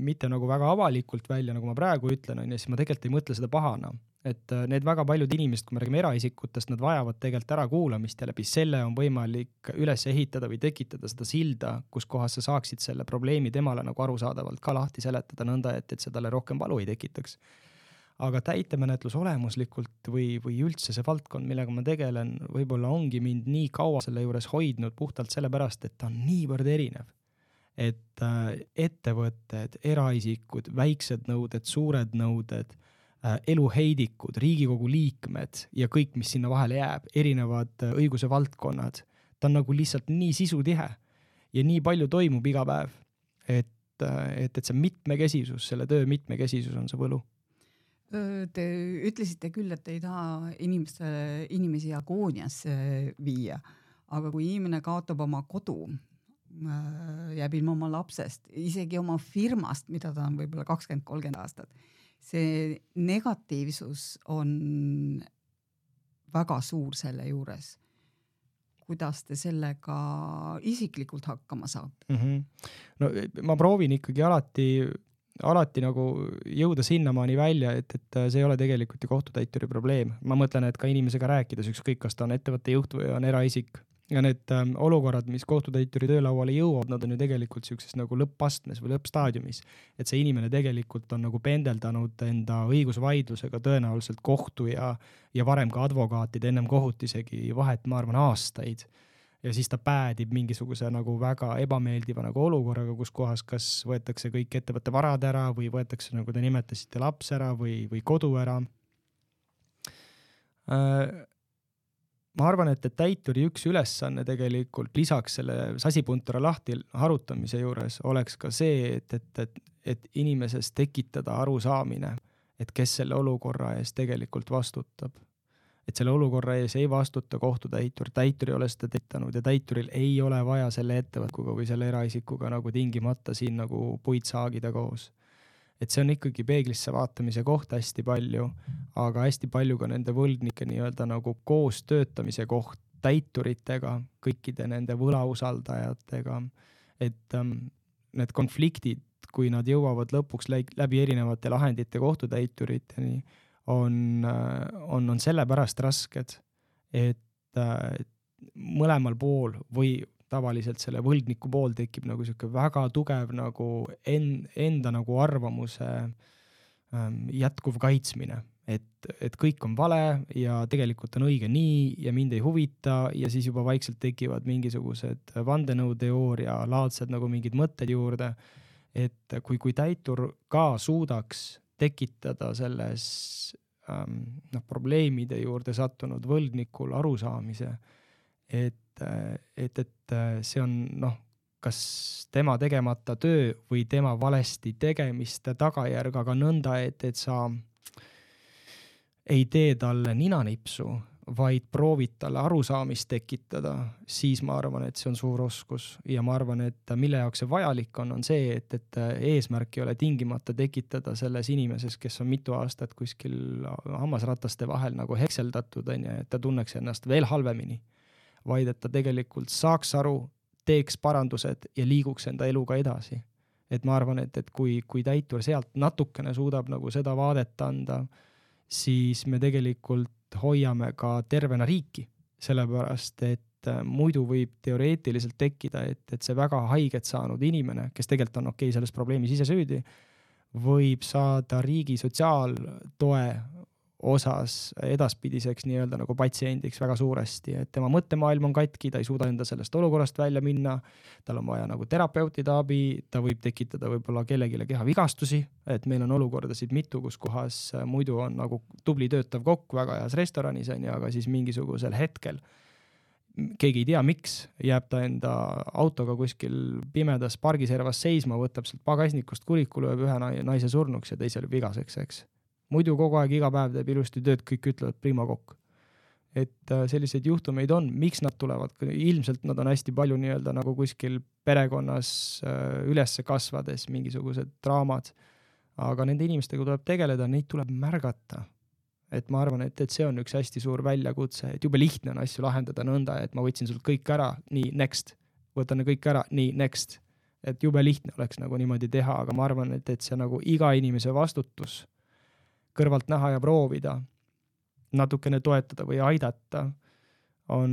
[SPEAKER 3] mitte nagu väga avalikult välja, nagu ma praegu ütlen, on, ja siis ma tegelikult ei mõtle seda pahana. Et need väga paljud inimesed, kui me räägime eraisikutest, nad vajavad tegelikult ära kuulamist ja läbi selle on võimalik üles ehitada või tekitada seda silda, kus kohas sa saaksid selle probleemi temale nagu arusaadavalt ka lahti seletada nõnda, et, et see talle rohkem valu ei tekitaks. Aga täitemenetlus olemuslikult või, või üldse see valdkond, millega ma tegelen, võib-olla ongi mind nii kaua selle juures hoidnud puhtalt sellepärast, et ta on niivõrd erinev. Et ettevõtted, eraisikud, väiksed nõuded, suured nõuded, eluheidikud, Riigikogu liikmed ja kõik, mis sinna vahele jääb, erinevad õiguse valdkonnad. Ta on nagu lihtsalt nii sisutihe ja nii palju toimub iga päev, et, et, et see mitmekesisus, selle töö mitmekesisus on see võlu.
[SPEAKER 4] Te ütlesite küll, et ei taha inimeste, inimesi agooniasse viia, aga kui inimene kaotab oma kodu, jääb ilma oma lapsest, isegi oma firmast, mida ta on võib-olla kakskümmend kolmkümmend aastat, see negatiivsus on väga suur selle juures. Kuidas te sellega isiklikult hakkama saate?
[SPEAKER 3] Mm-hmm. No, ma proovin ikkagi alati, alati nagu jõuda sinnamaani välja, et, et see ei ole tegelikult ju kohtutäituri probleem. Ma mõtlen, et ka inimesega rääkides, ükskõik kas ta on ettevõtte juht või on eraisik. Ja need ähm, olukorrad, mis kohtutäituri töölauale jõuavad, nad on ju tegelikult sellises nagu lõppastmes või lõppstaadiumis. Et see inimene tegelikult on nagu pendeldanud enda õigusvaidlusega tõenäoliselt kohtu ja, ja varem ka advokaatid ennem kohut isegi vahet, ma arvan, aastaid. Ja siis ta päädib mingisuguse nagu väga ebameeldiva nagu olukorraga, kus kohas kas võetakse kõik ettevõtte varad ära või võetakse, nagu te nimetasite, laps ära või, või kodu ära. Äh, Ma arvan, et, et täituri üks ülesanne tegelikult lisaks selle sasipuntura lahti harutamise juures oleks ka see, et, et, et, et inimeses tekitada arusaamine, et kes selle olukorra ees tegelikult vastutab. Et selle olukorra ees ei vastuta kohtutäitur, täitur ei ole seda tekitanud ja täituril ei ole vaja selle ettevõtkuga või selle eraisikuga nagu tingimata siin nagu puid saagida koos. Et see on ikkagi peeglisse vaatamise koht hästi palju, aga hästi palju ka nende võlgnike nii-öelda nagu koos töötamise koht täituritega, kõikide nende võlausaldajatega, et ähm, need konfliktid, kui nad jõuavad lõpuks läbi erinevate lahendite kohtutäituriteni, on, on, on sellepärast rasked, et, et mõlemal pool või tavaliselt selle võlgniku pool tekib nagu selline väga tugev nagu en, enda nagu arvamuse ähm, jätkuv kaitsmine, et, et kõik on vale ja tegelikult on õige nii ja mind ei huvita ja siis juba vaikselt tekivad mingisugused vandenõuteooria laadsed nagu mingid mõtted juurde, et kui, kui täitur ka suudaks tekitada selles ähm, noh, probleemide juurde sattunud võlgnikul arusaamise, et et, et see on noh, kas tema tegemata töö või tema valesti tegemiste tagajärg, aga nõnda, et, et sa ei tee talle ninanipsu, vaid proovid talle arusaamist tekitada, siis ma arvan, et see on suur oskus ja ma arvan, et mille jaoks see vajalik on, on see, et, et eesmärk ei ole tingimata tekitada selles inimeses, kes on mitu aastat kuskil hammasrataste vahel nagu hekseldatud, et ta tunneks ennast veel halvemini, vaid et ta tegelikult saaks aru, teeks parandused ja liiguks enda eluga edasi. Et ma arvan, et, et kui, kui täitur sealt natukene suudab nagu seda vaadet anda, siis me tegelikult hoiame ka tervena riiki, sellepärast, et muidu võib teoreetiliselt tekkida, et, et see väga haiget saanud inimene, kes tegelikult on okei selles probleemis ise süüdi, võib saada riigi sotsiaaltoe osas edaspidiseks nii-öelda nagu patsiendiks väga suuresti, et tema mõttemaailm on katki, ta ei suuda enda sellest olukorrast välja minna, tal on vaja nagu terapeutide abi, ta võib tekitada võib-olla kellegile kehavigastusi, et meil on olukordasid mitu, kus kohas muidu on nagu tubli töötav kokk väga heas restoranis, on, aga siis mingisugusel hetkel keegi ei tea, miks jääb ta enda autoga kuskil pimedas pargiservas seisma, võtab sealt pagasnikust kuliku, lööb ühe naise surnuks ja teisel vigaseks, eks. Muidu kogu aeg iga päev teeb ilusti tööd, kõik ütlevad prima kokk. Et selliseid juhtumeid on, miks nad tulevad, ilmselt nad on hästi palju nii-öelda nagu kuskil perekonnas ülesse kasvades mingisugused draamad, aga nende inimestega tuleb tegeleda, neid tuleb märgata. Et ma arvan, et, et see on üks hästi suur väljakutse, et jube lihtne on asju lahendada nõnda, et ma võtsin sult kõik ära, nii, next, võtan kõik ära, nii, next. Et jube lihtne oleks nagu niimoodi teha, aga ma arvan, et, et see nagu iga inimese vastutus kõrvalt näha ja proovida, natukene toetada või aidata, on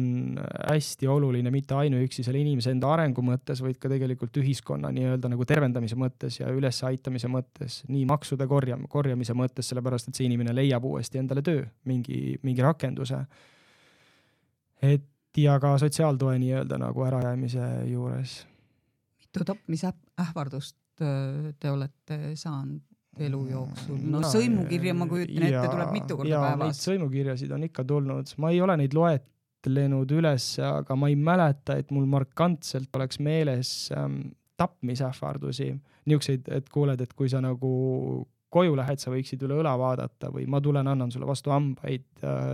[SPEAKER 3] hästi oluline mitte ainuüksi selle inimese enda arengu mõttes, vaid ka tegelikult ühiskonna nii-öelda nagu tervendamise mõttes ja üles aitamise mõttes, nii maksude korjam, korjamise mõttes, sellepärast, et see inimene leiab uuesti endale töö, mingi, mingi rakenduse. Et ja ka sotsiaaltoe nii-öelda nagu ärajäämise juures.
[SPEAKER 4] Mitu tapmise ähvardust te olete saanud? elu jooksul? No, no sõimukirja ma kujutan ette, tuleb mitu korda
[SPEAKER 3] ja,
[SPEAKER 4] päevas.
[SPEAKER 3] Neid sõimukirjasid on ikka tulnud. Ma ei ole neid loetlenud üles, aga ma ei mäleta, et mul markantselt oleks meeles ähm, tapmisähvardusi. Niukseid, et kuuled, et kui sa nagu koju lähed, sa võiksid üle õla vaadata või ma tulen, annan sulle vastu hambaid.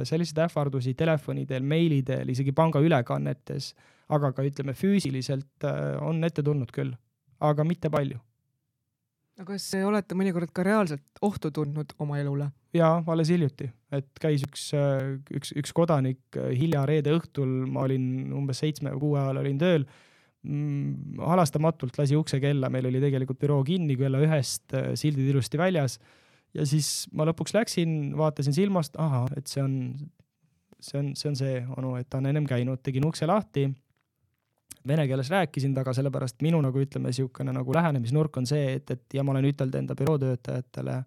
[SPEAKER 3] Selliseid ähvardusi telefonidel, meilidel, isegi panga ülekannetes, aga ka ütleme füüsiliselt on ette tulnud küll, aga mitte palju.
[SPEAKER 2] Aga kas olete mõnikord ka reaalselt ohtu tundnud oma elule?
[SPEAKER 3] Jaa, alles hiljuti, et käis üks, üks, üks kodanik hilja reede õhtul, ma olin umbes seitsme või kuue ajal olin tööl, halastamatult lasi ukse kella, meil oli tegelikult büroo kinni, kella ühest sildid ilusti väljas ja siis ma lõpuks läksin, vaatasin silmast, aha, et see on see on see, on see onu, et ta on ennem käinud, tegin ukse lahti, vene keeles rääkisin taga, sellepärast minu nagu ütleme siukene nagu lähenemisnurk on see, et, et ja ma olen ütelnud enda bürootöötajatele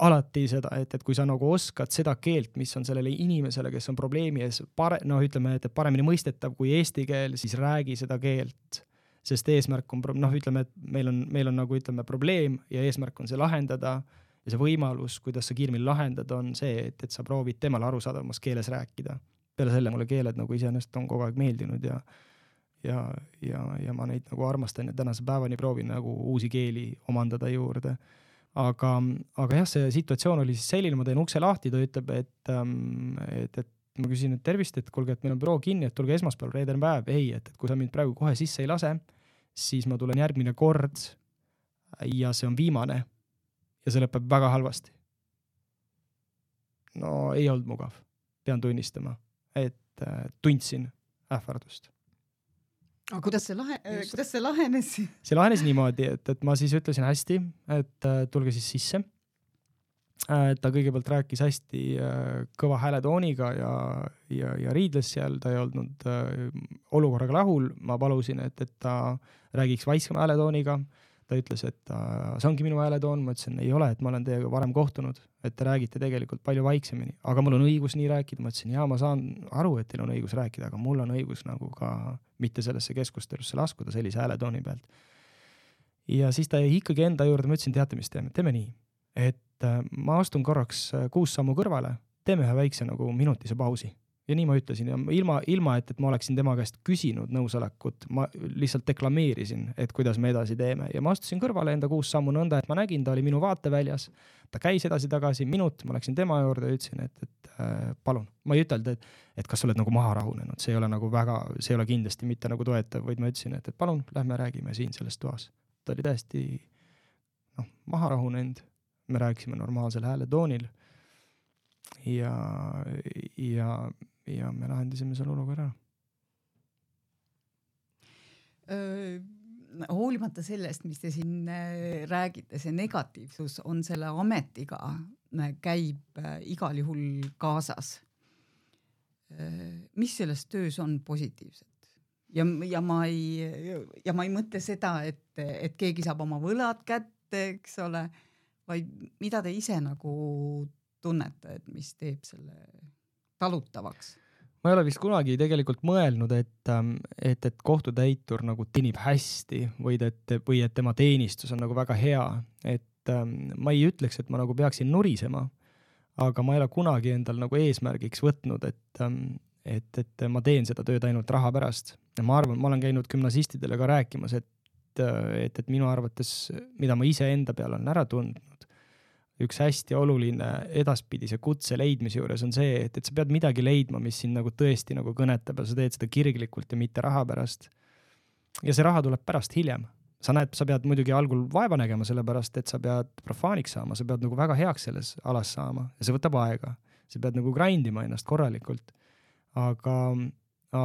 [SPEAKER 3] alati seda, et, et kui sa nagu oskad seda keelt, mis on sellele inimesele, kes on probleemi ees, pare, no ütleme, et paremini mõistetav kui eesti keel, siis räägi seda keelt, sest eesmärk on, noh ütleme, et meil on, meil on nagu ütleme probleem ja eesmärk on see lahendada ja see võimalus, kuidas sa kiirmil lahendada, on see, et, et sa proovid temale arusaadamas keeles rääkida. Peale selle mulle keeled nagu iseenesest on kogu aeg meeldinud ja ja, ja, ja ma neid nagu armastan ja tänase päevani proovin nagu uusi keeli omandada juurde. Aga, aga jah, see situatsioon oli siis selline, ma teen ukse lahti, ta ütleb, et, et, et ma küsin, et tervist, et kuulge, et meil on büroo kinni, et tulge esmaspäeval, reedene päev. Ei, et, et kui sa mind praegu kohe sisse ei lase, siis ma tulen järgmine kord ja see on viimane ja see lõpeb väga halvasti. No ei olnud mugav, pean tunnistama, et tundsin ähvardust.
[SPEAKER 4] Aga kuidas see, lahe, kuidas see lahenes?
[SPEAKER 3] See lahenes niimoodi, et, et ma siis ütlesin hästi, et tulge siis sisse. Ta kõigepealt rääkis hästi kõva hääletooniga ja, ja, ja riidles seal, ta ei olnud olukorraga rahul. Ma palusin, et, et ta räägiks vaiksema hääletooniga. Ta ütles, et ta, see ongi minu hääletoon. Ma ütlesin, ei ole, et ma olen teiega varem kohtunud, et te räägite tegelikult palju vaiksemini. Aga mul on õigus nii rääkida. Ma ütlesin, jaa, ma saan aru, et teil on õigus rääkida, aga mul on õigus nagu ka mitte sellesse keskustelusse laskuda sellise hääletooni pealt. Ja siis ta jäi ikkagi enda juurde, ma ütlesin, teate, mis teeme, teeme nii, et ma astun korraks kuus sammu kõrvale, teeme ühe väikse nagu minutise pausi. Ja nii ma ütlesin, ja ilma, ilma et, et ma oleksin tema käest küsinud nõusolekut, ma lihtsalt deklameerisin, et kuidas me edasi teeme. Ja ma astusin kõrvale enda kuus sammu nõnda, et ma nägin, ta oli minu vaateväljas, ta käis edasi tagasi minut, ma läksin tema juurde ja ütlesin, et, et äh, palun. Ma ei ütelnud, et, et kas sa oled nagu maha rahunenud, see ei ole nagu väga, see ei ole kindlasti mitte nagu toetav, vaid ma ütlesin, et, et palun, lähme räägime siin selles toas. Ta oli täiesti noh, maha rahunenud, me rääkisime normaalsel hääletoonil ja, ja ja me lahendasime seal olukorra ära.
[SPEAKER 4] Hoolimata sellest, mis te siin räägite, see negatiivsus on selle ametiga, käib igal juhul kaasas. Mis selles töös on positiivset? Ja, ja, ma ei, ja ma ei mõtle seda, et, et keegi saab oma võlad kätte, eks ole, vaid mida te ise nagu tunnete, et mis teeb selle talutavaks?
[SPEAKER 3] Ma ei ole vist kunagi tegelikult mõelnud, et, et, et kohtutäitur nagu teenib hästi või et, või et tema teenistus on nagu väga hea. Et ma ei ütleks, et ma nagu peaksin nurisema, aga ma ei ole kunagi endal nagu eesmärgiks võtnud, et, et, et ma teen seda tööd ainult raha pärast. Ja ma arvan, ma olen käinud gümnasistidele ka rääkimas, et, et, et minu arvates, mida ma ise enda peal on ära tundnud, üks hästi oluline edaspidise kutse leidmise juures on see, et, et sa pead midagi leidma, mis sind nagu tõesti nagu kõnetab ja sa teed seda kirglikult ja mitte raha pärast. Ja see raha tuleb pärast hiljem. Sa näed, sa pead muidugi algul vaeva nägema sellepärast, et sa pead profaaniks saama, sa pead nagu väga heaks selles alas saama ja see võtab aega. Sa pead nagu grindima ennast korralikult. Aga,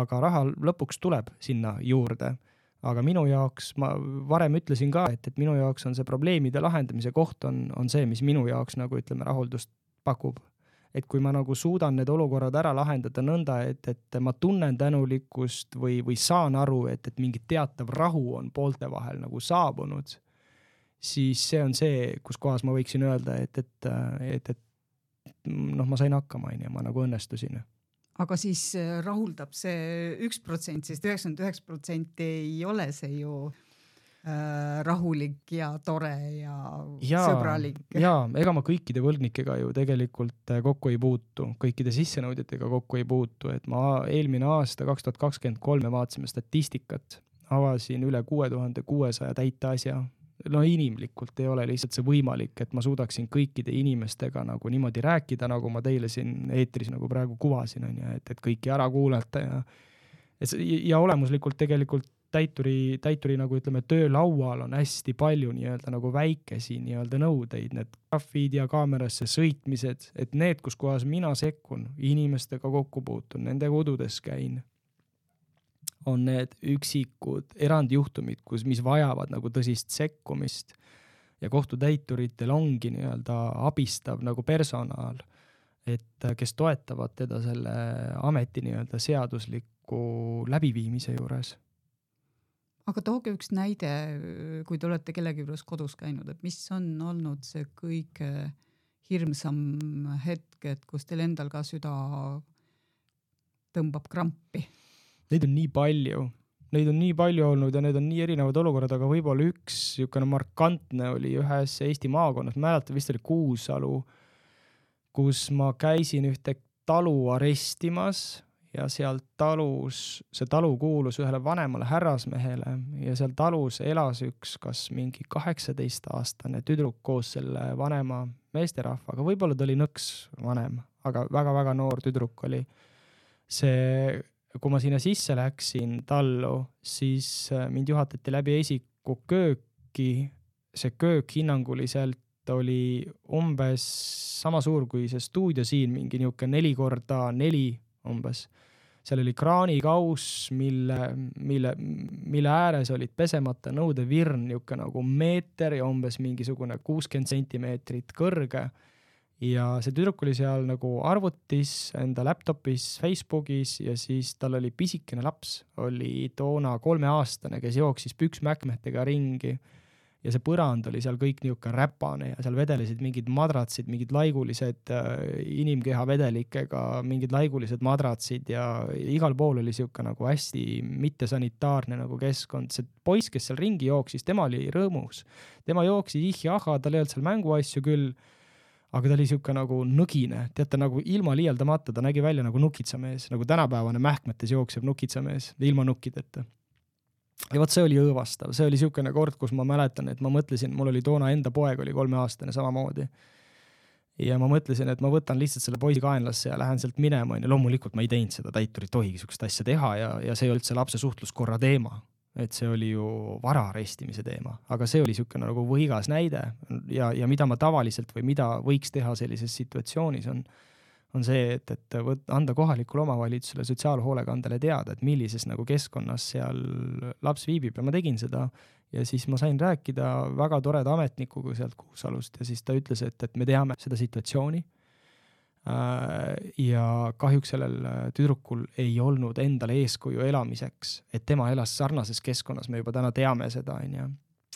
[SPEAKER 3] aga raha lõpuks tuleb sinna juurde. Aga minu jaoks, ma varem ütlesin ka, et, et minu jaoks on see probleemide lahendamise koht on, on see, mis minu jaoks nagu ütleme rahuldust pakub. Et kui ma nagu suudan need olukorrad ära lahendada nõnda, et, et ma tunnen tänulikkust või, või saan aru, et, et mingi teatav rahu on poolte vahel nagu saabunud, siis see on see, kus kohas ma võiksin öelda, et, et, et, et noh, ma sain hakkama ja ma nagu õnnestusin.
[SPEAKER 4] Aga siis rahuldab see üks protsent, sest üheksakümmend üheksa protsenti ei ole see ju äh, rahulik ja tore ja,
[SPEAKER 3] ja
[SPEAKER 4] sõbralik.
[SPEAKER 3] ja ega ma kõikide võlgnikega ju tegelikult kokku ei puutu, kõikide sissenõudjatega kokku ei puutu, et ma eelmine aasta kaks tuhat kakskümmend kolm me vaatasime statistikat, avasin üle kuue tuhande kuuesaja täite asja. No inimlikult ei ole lihtsalt see võimalik, et ma suudaksin kõikide inimestega nagu niimoodi rääkida, nagu ma teile siin eetris nagu praegu kuvasin, on ja, et, et kõiki ära kuulata ja, et, ja olemuslikult tegelikult täituri, täituri nagu ütleme, töölaual on hästi palju nii-öelda nagu väikesi nii-öelda nõudeid, need grafid ja kaamerasse sõitmised, et need, kus kohas mina sekkun, inimestega kokku puutun, nende kodudes käin, on need üksikud erandjuhtumid, kus, mis vajavad nagu tõsist sekkumist ja kohtutäituritel ongi nii-öelda abistav nagu personal, et kes toetavad teda selle ameti nii-öelda seadusliku läbiviimise juures.
[SPEAKER 4] Aga tooge üks näide, kui te olete kellegi juures kodus käinud, et mis on olnud see kõige hirmsam hetk, et kus teil endal ka süda tõmbab krampi?
[SPEAKER 3] Neid on nii palju, neid on nii palju olnud ja need on nii erinevad olukorrad, aga võib-olla üks niisugune markantne oli ühes Eesti maakonnas, mäletan vist oli Kuusalu, kus ma käisin ühte talu arestimas ja seal talus, see talu kuulus ühele vanemale härrasmehele ja seal talus elas üks kas mingi kaheksateist aastane tüdruk koos selle vanema meesterahvaga, võib-olla ta oli nõks vanem, aga väga-väga noor tüdruk oli. See kui ma sinna sisse läksin tallu, siis mind juhatati läbi esiku kööki. See köök hinnanguliselt oli umbes sama suur kui see stuudio siin, mingi niuke neli korda neli umbes. Seal oli kraanikaus, mille, mille, mille ääres olid pesemata nõudevirn niuke nagu meeter ja umbes mingisugune kuuskümmend sentimeetrit kõrge. Ja see tüdruk oli seal nagu arvutis, enda laptopis, Facebookis ja siis tal oli pisikene laps, oli toona kolmeaastane, kes jooksis püksmäkmetega ringi ja see põrand oli seal kõik niuke räpane ja seal vedelesid mingid madratsid, mingid laigulised äh, inimkeha vedelikega, mingid laigulised madratsid ja igal pool oli siuke nagu hästi mittesanitaarne nagu keskkond. See poiss, kes seal ringi jooksis, tema oli rõõmus. Tema jooksis ihjaha, tal ei olnud seal mänguasju küll, aga ta oli siuke nagu nõgine, teate nagu ilma liialdamata, ta nägi välja nagu nukitsamees, nagu tänapäevane mähkmetes jookseb nukitsamees, ilma nukkideta. Ja võt see oli õõvastav, see oli siukene kord, kus ma mäletan, et ma mõtlesin, mul oli toona enda poeg oli kolmeaastane samamoodi. Ja ma mõtlesin, et ma võtan lihtsalt selle poisi kaenlasse ja lähen sealt minema, ja loomulikult ma ei teinud seda, täiturid tohigi sukest asja teha ja, ja see ei olnud see lapse suhtluskorra teema. Et see oli ju vara arestimise teema, aga see oli siukene nagu võigas näide ja, ja mida ma tavaliselt või mida võiks teha sellises situatsioonis on, on see, et, et võt, anda kohalikule omavalitsusele sotsiaalhoolekandele teada, et millises nagu keskkonnas seal laps viibib ja ma tegin seda ja siis ma sain rääkida väga toreda ametnikuga sealt Kuusalust ja siis ta ütles, et, et me teame seda situatsiooni ja kahjuks sellel tüdrukul ei olnud endale eeskuju elamiseks, et tema elas sarnases keskkonnas, me juba täna teame seda, ja,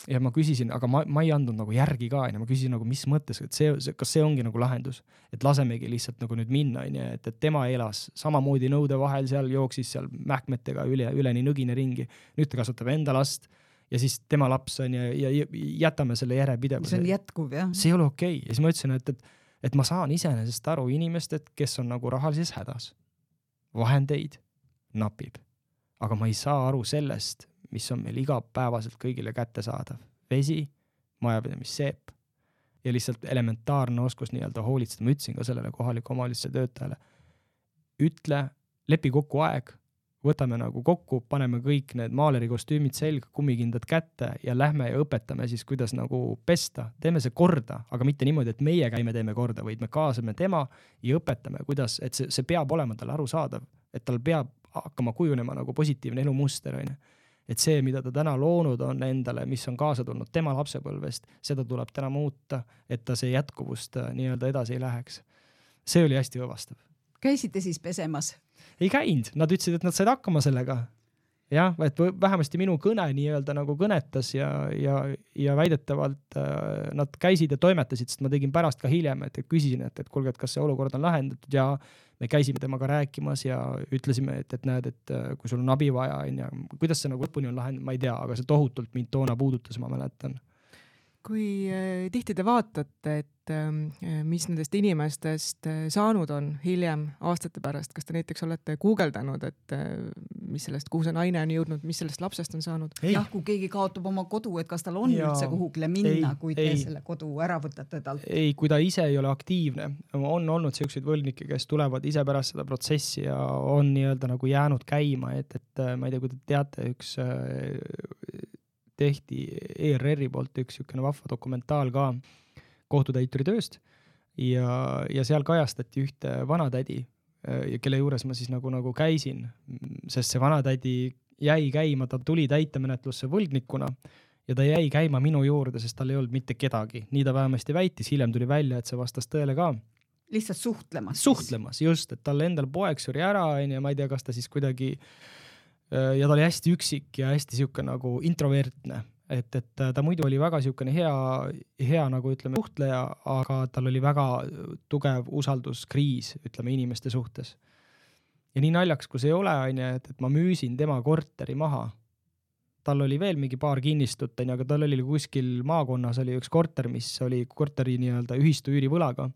[SPEAKER 3] ja ma küsisin, aga ma, ma ei andnud nagu järgi ka, ja ma küsisin nagu mis mõttes, et see, kas see ongi nagu lahendus, et lasemegi lihtsalt nagu nüüd minna, ja, et, et tema elas samamoodi nõude vahel seal, jooksis seal mähkmetega üle, üleni nõgine ringi, nüüd ta kasutab enda last ja siis tema laps on ja, ja jätame selle järepidevuse.
[SPEAKER 4] See on jätkuv, jah.
[SPEAKER 3] See ei ole okei. Ja siis ma ütlesin, et, et et ma saan iseenesest aru inimesed, kes on nagu rahalises hädas. Vahendeid napib. Aga ma ei saa aru sellest, mis on meil igapäevaselt kõigile kätte saadav. Vesi, majapidamisseep ja lihtsalt elementaarne oskus nii-öelda hoolitseda. Ma ütlesin ka sellele kohaliku omavalitsuse töötajale. Ütle, lepi kokku aeg, võtame nagu kokku, paneme kõik need maaleri kostüümid selga, kummikindad kätte ja lähme ja õpetame siis, kuidas nagu pesta. Teeme see korda, aga mitte niimoodi, et meie käime teeme korda, vaid me kaasame tema ja õpetame, kuidas, et see, see peab olema tal arusaadav, et tal peab hakkama kujunema nagu positiivne elumuster. Et see, mida ta täna loonud on endale, mis on kaasa tulnud tema lapsepõlvest, seda tuleb täna muuta, et ta see jätkuvust nii-öelda edasi ei läheks. See oli hästi õvastav.
[SPEAKER 4] Käisite siis pesemas?
[SPEAKER 3] Ei käinud, nad ütlesid, et nad said hakkama sellega. jah, et vähemasti minu kõne nii-öelda nagu kõnetas ja, ja, ja väidetavalt äh, nad käisid ja toimetasid, sest ma tegin pärast ka hiljem, et küsisin, et, et kuulge, et kas see olukord on lahendatud ja me käisime temaga rääkimas ja ütlesime, et, et näed, et kui sul on abi vaja, ja kuidas see nagu lõpuni on lahendatud, ma ei tea, aga see tohutult mind toona puudutas, ma mäletan.
[SPEAKER 2] Kui äh, tihti te vaatate, et äh, mis nendest inimestest äh, saanud on hiljem aastate pärast, kas te näiteks olete guugeldanud, et äh, mis sellest, kuhu see naine on jõudnud, mis sellest lapsest on saanud?
[SPEAKER 4] Jah, kui keegi kaotab oma kodu, et kas tal on ja, üldse kuhugile minna, ei, kui te ei, selle kodu ära võtate talt?
[SPEAKER 3] Ei, kui ta ise ei ole aktiivne. On olnud selliseid võlgnikke, kes tulevad ise pärast seda protsessi ja on nii-öelda nagu jäänud käima, et, et ma ei tea, kui te teate, üks äh, tehti E R R-i poolt üks niisugune vahva dokumentaal ka kohtutäituri tööst ja, ja seal kajastati ühte vanatädi, kelle juures ma siis nagu, nagu käisin, sest see vanatädi jäi käima, ta tuli täitemenetlusse võlgnikuna ja ta jäi käima minu juurde, sest tal ei olnud mitte kedagi. Nii ta vähemasti väitis, hiljem tuli välja, et see vastas tõele ka.
[SPEAKER 4] Lihtsalt suhtlemas.
[SPEAKER 3] Suhtlemas, just, et tal endal poeg suri ära ja ma ei tea, kas ta siis kuidagi ja ta oli hästi üksik ja hästi siuke nagu introvertne, et, et ta muidu oli väga siukene hea, hea nagu ütleme suhtleja, aga tal oli väga tugev usalduskriis, ütleme inimeste suhtes. Ja nii naljaks, kui see ei ole, et, et ma müüsin tema korteri maha. Tal oli veel mingi paar kinnistut, aga tal oli kuskil maakonnas oli üks korter, mis oli korteri nii-öelda ühistu üürivõlaga.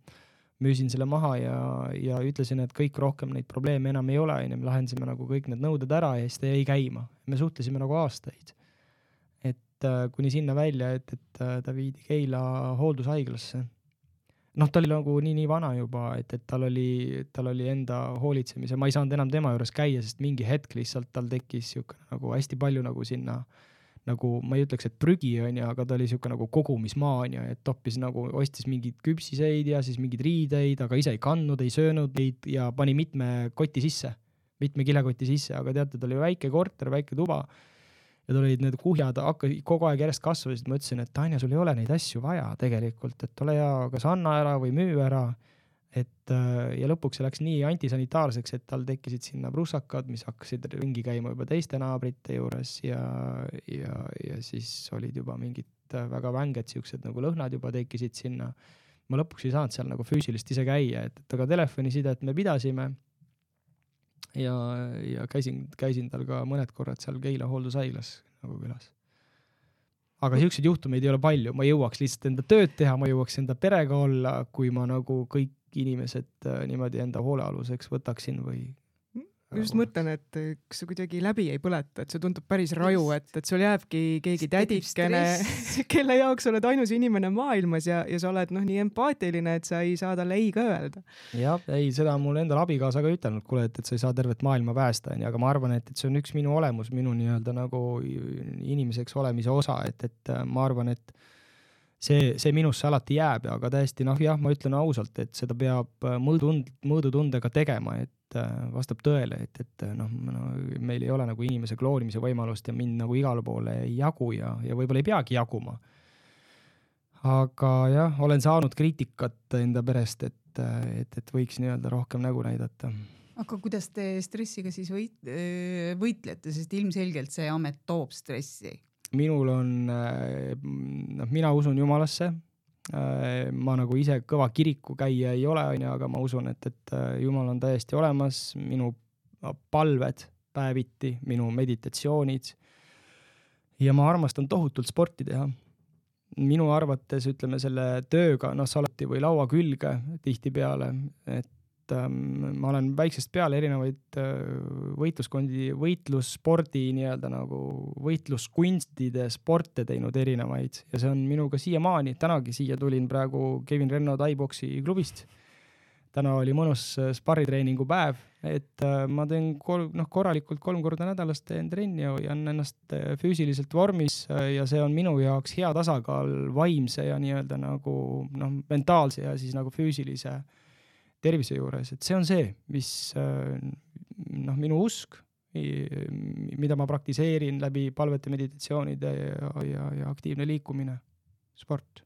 [SPEAKER 3] Müüsin selle maha ja, ja ütlesin, et kõik rohkem neid probleeme enam ei ole, ja me lahendasime nagu kõik need nõuded ära ja siis ta jäi käima. Me suhtlesime nagu aastaid. Et äh, kuni sinna välja, et, et äh, ta viidi Keila hooldushaiglasse. Noh, ta oli nagu nii, nii vana juba, et, et tal oli, tal oli enda hoolitsemise. Ma ei saanud enam tema juures käia, sest mingi hetk lihtsalt tal tekkis siuke, nagu hästi palju nagu sinna nagu ma ei ütleks, et prügi on ja, aga ta oli siuke nagu kogumismaa on ja, et toppis nagu, ostis mingid küpsiseid ja siis mingid riideid, aga ise ei kandnud, ei söönud neid ja pani mitme koti sisse, mitme kilekoti sisse, aga teate, ta oli väike korter, väike tuba ja tal olid need kuhjad, hakka kogu aeg järjest kasvasid, ma ütlesin, et Tanja, sul ei ole neid asju vaja tegelikult, et ole hea, kas anna ära või müü ära. Et, ja lõpuks see läks nii antisanitaarseks, et tal tekkisid sinna prussakad, mis hakkasid ringi käima juba teiste naabrite juures ja, ja, ja siis olid juba mingid väga vänged siuksed nagu lõhnad juba tekkisid sinna. Ma lõpuks ei saanud seal nagu füüsilist ise käia, et, et aga telefonisidet me pidasime ja, ja käisin, käisin tal ka mõned korrad seal Keila hooldushaiglas nagu külas. Aga siukseid juhtumeid ei ole palju, ma jõuaks lihtsalt enda tööd teha, ma jõuaks enda perega olla, kui ma nagu kõik inimesed niimoodi enda hoolealuseks võtaksin või...
[SPEAKER 2] Ma just mõtlen, et kas see kuidagi läbi ei põleta, et see tundub päris raju, et, et sul jääbki keegi tädikene, kelle jaoks oled ainus inimene maailmas ja, ja sa oled noh, nii empaatiline, et sa ei saa talle ei ka öelda.
[SPEAKER 3] Jah, ei, seda on mul endal abikaasa ka ütelnud, kuule, et, et sa ei saa tervet maailma päästa, aga ma arvan, et, et see on üks minu olemus, minu nii-öelda nagu inimeseks olemise osa, et, et ma arvan, et see, see minusse alati jääb, aga täiesti, noh jah, ma ütlen ausalt, et seda peab mõõdutund, mõõdutundega tegema, et vastab tõele, et, et noh, no, meil ei ole nagu inimese kloonimise võimalust ja mind nagu igale poole ei jagu ja, ja võib-olla ei peagi jaguma. Aga jah, olen saanud kriitikat enda perest, et, et, et võiks nii-öelda rohkem nägu näidata.
[SPEAKER 4] Aga kuidas te stressiga siis võit, võitlete, sest ilmselgelt see amet toob stressi?
[SPEAKER 3] Minul on, noh, mina usun Jumalasse. Ma nagu ise kõva kiriku käia ei ole, aga ma usun, et, et Jumal on täiesti olemas, minu palved päeviti, minu meditatsioonid ja ma armastan tohutult sporti teha. Minu arvates, ütleme selle tööga, noh, salati või laua külge tihti peale, et ähm, ma olen väiksest peale erinevaid äh, võitluskondi, võitlusspordi nii-öelda nagu võitluskunstide sporte teinud erinevaid ja see on minuga siiamaani, tänagi siia tulin praegu Kevin Renno Thai-boksi klubist. Täna oli mõnus sparritreeningu päev, et äh, ma teen kol, noh, korralikult kolm korda nädalast teen trenni ja on ennast füüsiliselt vormis äh, ja see on minu jaoks hea tasakaal vaimse ja nii-öelda nagu noh, mentaalse ja siis nagu füüsilise tervise juures, et see on see, mis noh, minu usk, mida ma praktiseerin läbi palvete, meditatsioonide ja, ja, ja aktiivne liikumine, sport.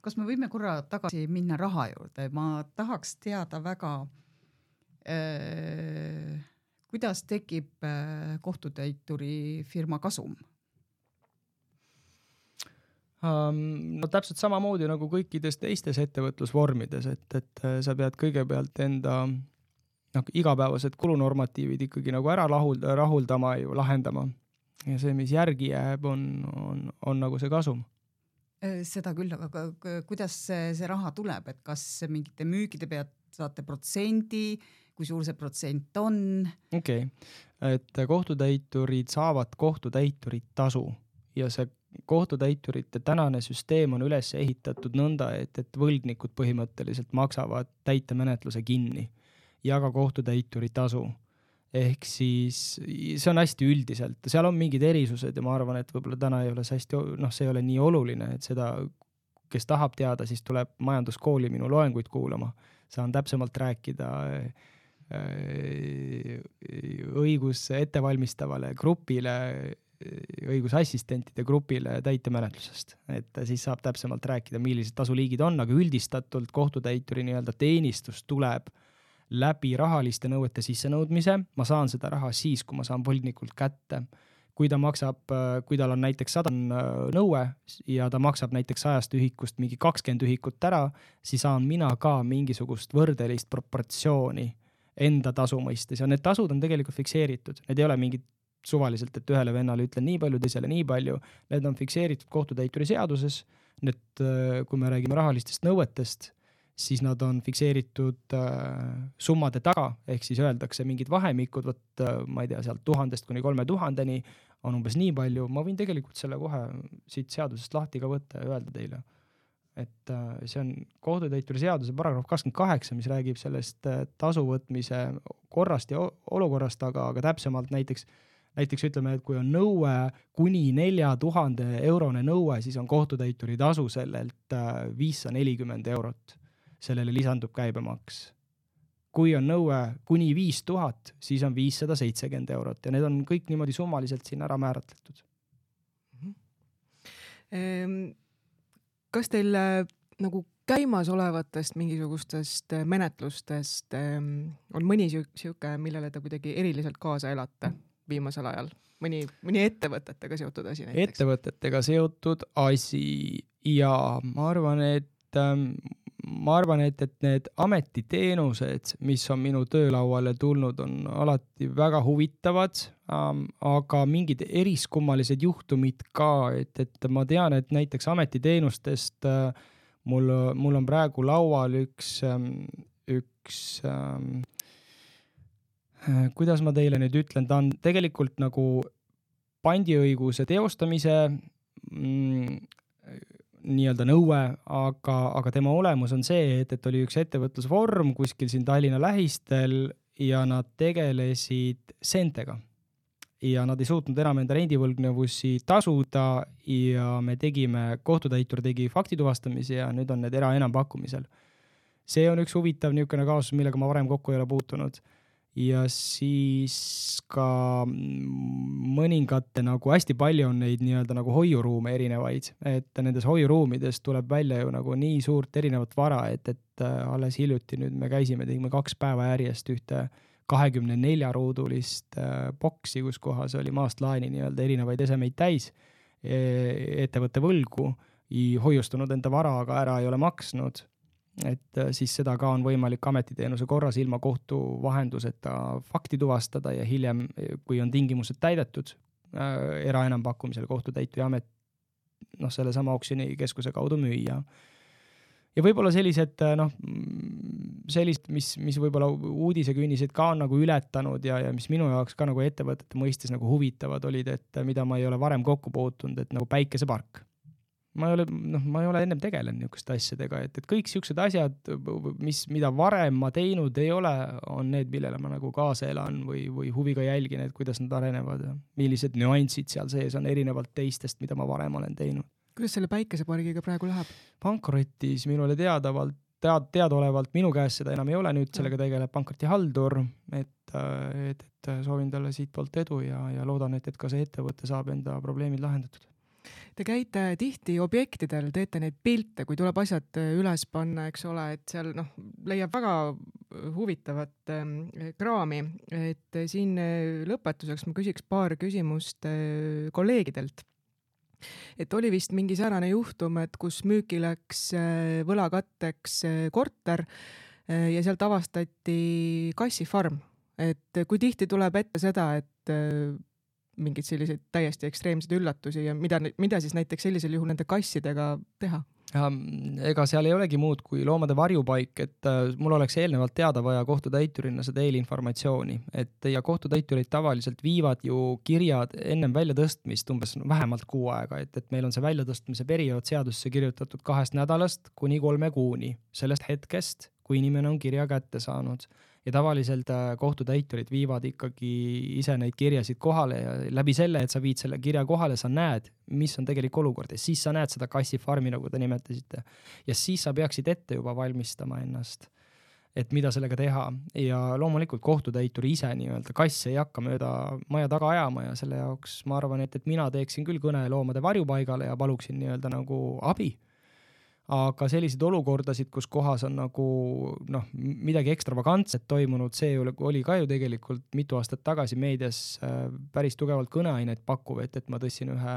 [SPEAKER 4] Kas me võime korra tagasi minna raha juurde? Ma tahaks teada väga, kuidas tekib kohtutäituri firma kasum?
[SPEAKER 3] No täpselt samamoodi nagu kõikides teistes ettevõtlusvormides, et, et sa pead kõigepealt enda no, igapäevased kulunormatiivid ikkagi nagu ära rahulda, rahuldama ju, lahendama. Ja see, mis järgi jääb, on, on, on nagu see kasum.
[SPEAKER 4] Seda küll, aga kuidas see, see raha tuleb, et kas mingite müügide pealt saate protsendi, kui suur see protsent on? Okei,
[SPEAKER 3] okay. Et kohtutäiturid saavad kohtutäiturid tasu ja see kohtutäiturite tänane süsteem on üles ehitatud nõnda, et, et võlgnikud põhimõtteliselt maksavad täitemenetluse kinni ja ka kohtutäituri tasu. Ehk siis see on hästi üldiselt, seal on mingid erisused ja ma arvan, et võib-olla täna ei ole see hästi, noh, see ei ole nii oluline, et seda, kes tahab teada, siis tuleb majanduskooli minu loenguid kuulama. Saan täpsemalt rääkida õigus ettevalmistavale grupile, õigusassistentide grupile täitemenetlusest, et siis saab täpsemalt rääkida, millised tasuliigid on, aga üldistatult kohtutäituri nii-öelda teenistus tuleb läbi rahaliste nõuete sissenõudmise. Ma saan seda raha siis, kui ma saan võlgnikult kätte. Kui ta maksab, kui tal on näiteks sada nõue ja ta maksab näiteks sajast ühikust mingi kakskümmend ühikut ära, siis saan mina ka mingisugust võrdelist proportsiooni enda tasu mõistes ja need tasud on tegelikult fikseeritud. Need ei ole mingid suvaliselt, et ühele vennale ütlen nii palju, teisele nii palju. Need on fikseeritud kohtutäituri seaduses. Need, kui me räägime rahalistest nõuetest, siis nad on fikseeritud summade taga, ehk siis öeldakse mingid vahemikud, võt, ma ei tea, sealt tuhandest kuni kolme tuhandeni on umbes nii palju. Ma võin tegelikult selle kohe siit seadusest lahti ka võtta ja öelda teile. Et see on kohtutäituri seaduse paragrahv kakskümmend kaheksa, mis räägib sellest tasu võtmise korrast ja olukorrast, aga, aga täpsemalt näiteks Näiteks ütleme, et kui on nõue kuni nelja tuhande eurone nõue, siis on kohtutäituri tasu sellelt viissada nelikümmend eurot. Sellele lisandub käibemaks. Kui on nõue kuni viis tuhat, siis on viissada seitsekümmend eurot ja need on kõik niimoodi summaliselt siin ära määratletud.
[SPEAKER 2] Kas teil nagu käimas olevatest mingisugustest menetlustest on mõni siuke, millele te kuidagi eriliselt kaasa elate viimasel ajal? Mõni, mõni ettevõtetega seotud asi näiteks?
[SPEAKER 3] Ettevõtetega seotud asi ja ma arvan, et ma arvan, et, et need ametiteenused, mis on minu töölauale tulnud, on alati väga huvitavad, aga mingid eriskummalised juhtumid ka, et, et ma tean, et näiteks ametiteenustest mul, mul on praegu laual üks, üks kuidas ma teile nüüd ütlen, ta on tegelikult nagu pandiõiguse teostamise mm, nii-öelda nõue, aga, aga tema olemus on see, et, et oli üks ettevõtlusvorm kuskil siin Tallinna lähistel ja nad tegelesid seentega. Ja nad ei suutnud enam enda rendivõlgnevusi tasuda ja me tegime, kohtutäitur tegi faktituvastamise ja nüüd on need era enampakkumisel. See on üks huvitav niisugune kaasus, millega ma varem kokku ei ole puutunud. Ja siis ka mõningate nagu hästi palju on neid nii-öelda nagu hoiuruume erinevaid, et nendes hoiuruumides tuleb välja ju nagu nii suurt erinevat vara, et, et alles hiljuti nüüd me käisime, tegime kaks päeva järjest ühte kahekümne nelja ruudulist boksi, kus kohas oli maast laeni nii-öelda erinevaid esemeid täis, ettevõtte võlgu, hoiustunud enda vara, aga ära ei ole maksnud. Et siis seda ka on võimalik ametiteenuse korras ilma kohtu vahenduseta fakti tuvastada ja hiljem, kui on tingimused täidetud, era enampakkumisel kohtutäituri amet noh, selle sama oksjoni keskuse kaudu müüa. Ja võib-olla sellised, noh, sellist, mis, mis võib-olla uudisekünnised ka on nagu ületanud ja, ja mis minu jaoks ka nagu ettevõtete mõistes nagu huvitavad olid, et mida ma ei ole varem kokku puutunud, et nagu päikesepark. Ma ei ole, noh, ma ei ole ennem tegelen niisuguste asjadega, et, et kõik siuksed asjad, mis, mida varem ma teinud ei ole, on need, millele ma nagu kaasa elan või, või huviga jälgin, et kuidas nad arenevad ja millised nüansid seal sees on erinevalt teistest, mida ma varem olen teinud.
[SPEAKER 2] Kuidas selle päikesepargiga praegu läheb?
[SPEAKER 3] Pankrotis minule teadavalt, tead, teadaolevalt minu käes seda enam ei ole, nüüd sellega tegeleb pankrotihaldur, et, et, et soovin talle siit poolt edu ja, ja loodan, et, et ka see ettevõte saab enda probleemid lahendatud.
[SPEAKER 2] Te käite tihti objektidel, teete neid pilte, kui tuleb asjad üles panna, eks ole, et seal noh, leiab väga huvitavat kraami, et siin lõpetuseks ma küsiks paar küsimust kolleegidelt. Et oli vist mingi säärane juhtum, et kus müüki läks võlakatteks korter ja sealt avastati kassifarm. Et kui tihti tuleb ette seda, et mingid selliseid täiesti ekstreemseid üllatusi ja mida, mida siis näiteks sellisel juhul nende kassidega teha?
[SPEAKER 3] Ega seal ei olegi muud kui loomade varjupaik, et mul oleks eelnevalt teada vaja kohtutäiturina seda eelinformatsiooni, et ja kohtutäiturid tavaliselt viivad ju kirjad ennem väljatõstmist umbes vähemalt kuu aega, et, et meil on see väljatõstmise periood seadusesse kirjutatud kahest nädalast kuni kolme kuuni sellest hetkest, kui inimene on kirja kätte saanud. Ja tavaliselt kohtutäiturid viivad ikkagi ise neid kirjasid kohale ja läbi selle, et sa viid selle kirja kohale, sa näed, mis on tegelik olukord ja siis sa näed seda kassifarmi, nagu te nimetasite. Ja siis sa peaksid ette juba valmistama ennast, et mida sellega teha. Ja loomulikult kohtutäituri ise nii-öelda kass ei hakka mööda maja taga ajama ja selle jaoks ma arvan, et, et mina teeksin küll kõne loomade varjupaigale ja paluksin nii-öelda nagu abi. Aga selliseid olukordasid, kus kohas on nagu noh, midagi ekstravagantset toimunud, see oli ka ju tegelikult mitu aastat tagasi meedias päris tugevalt kõneaineid pakkuv, et, et ma tõssin ühe,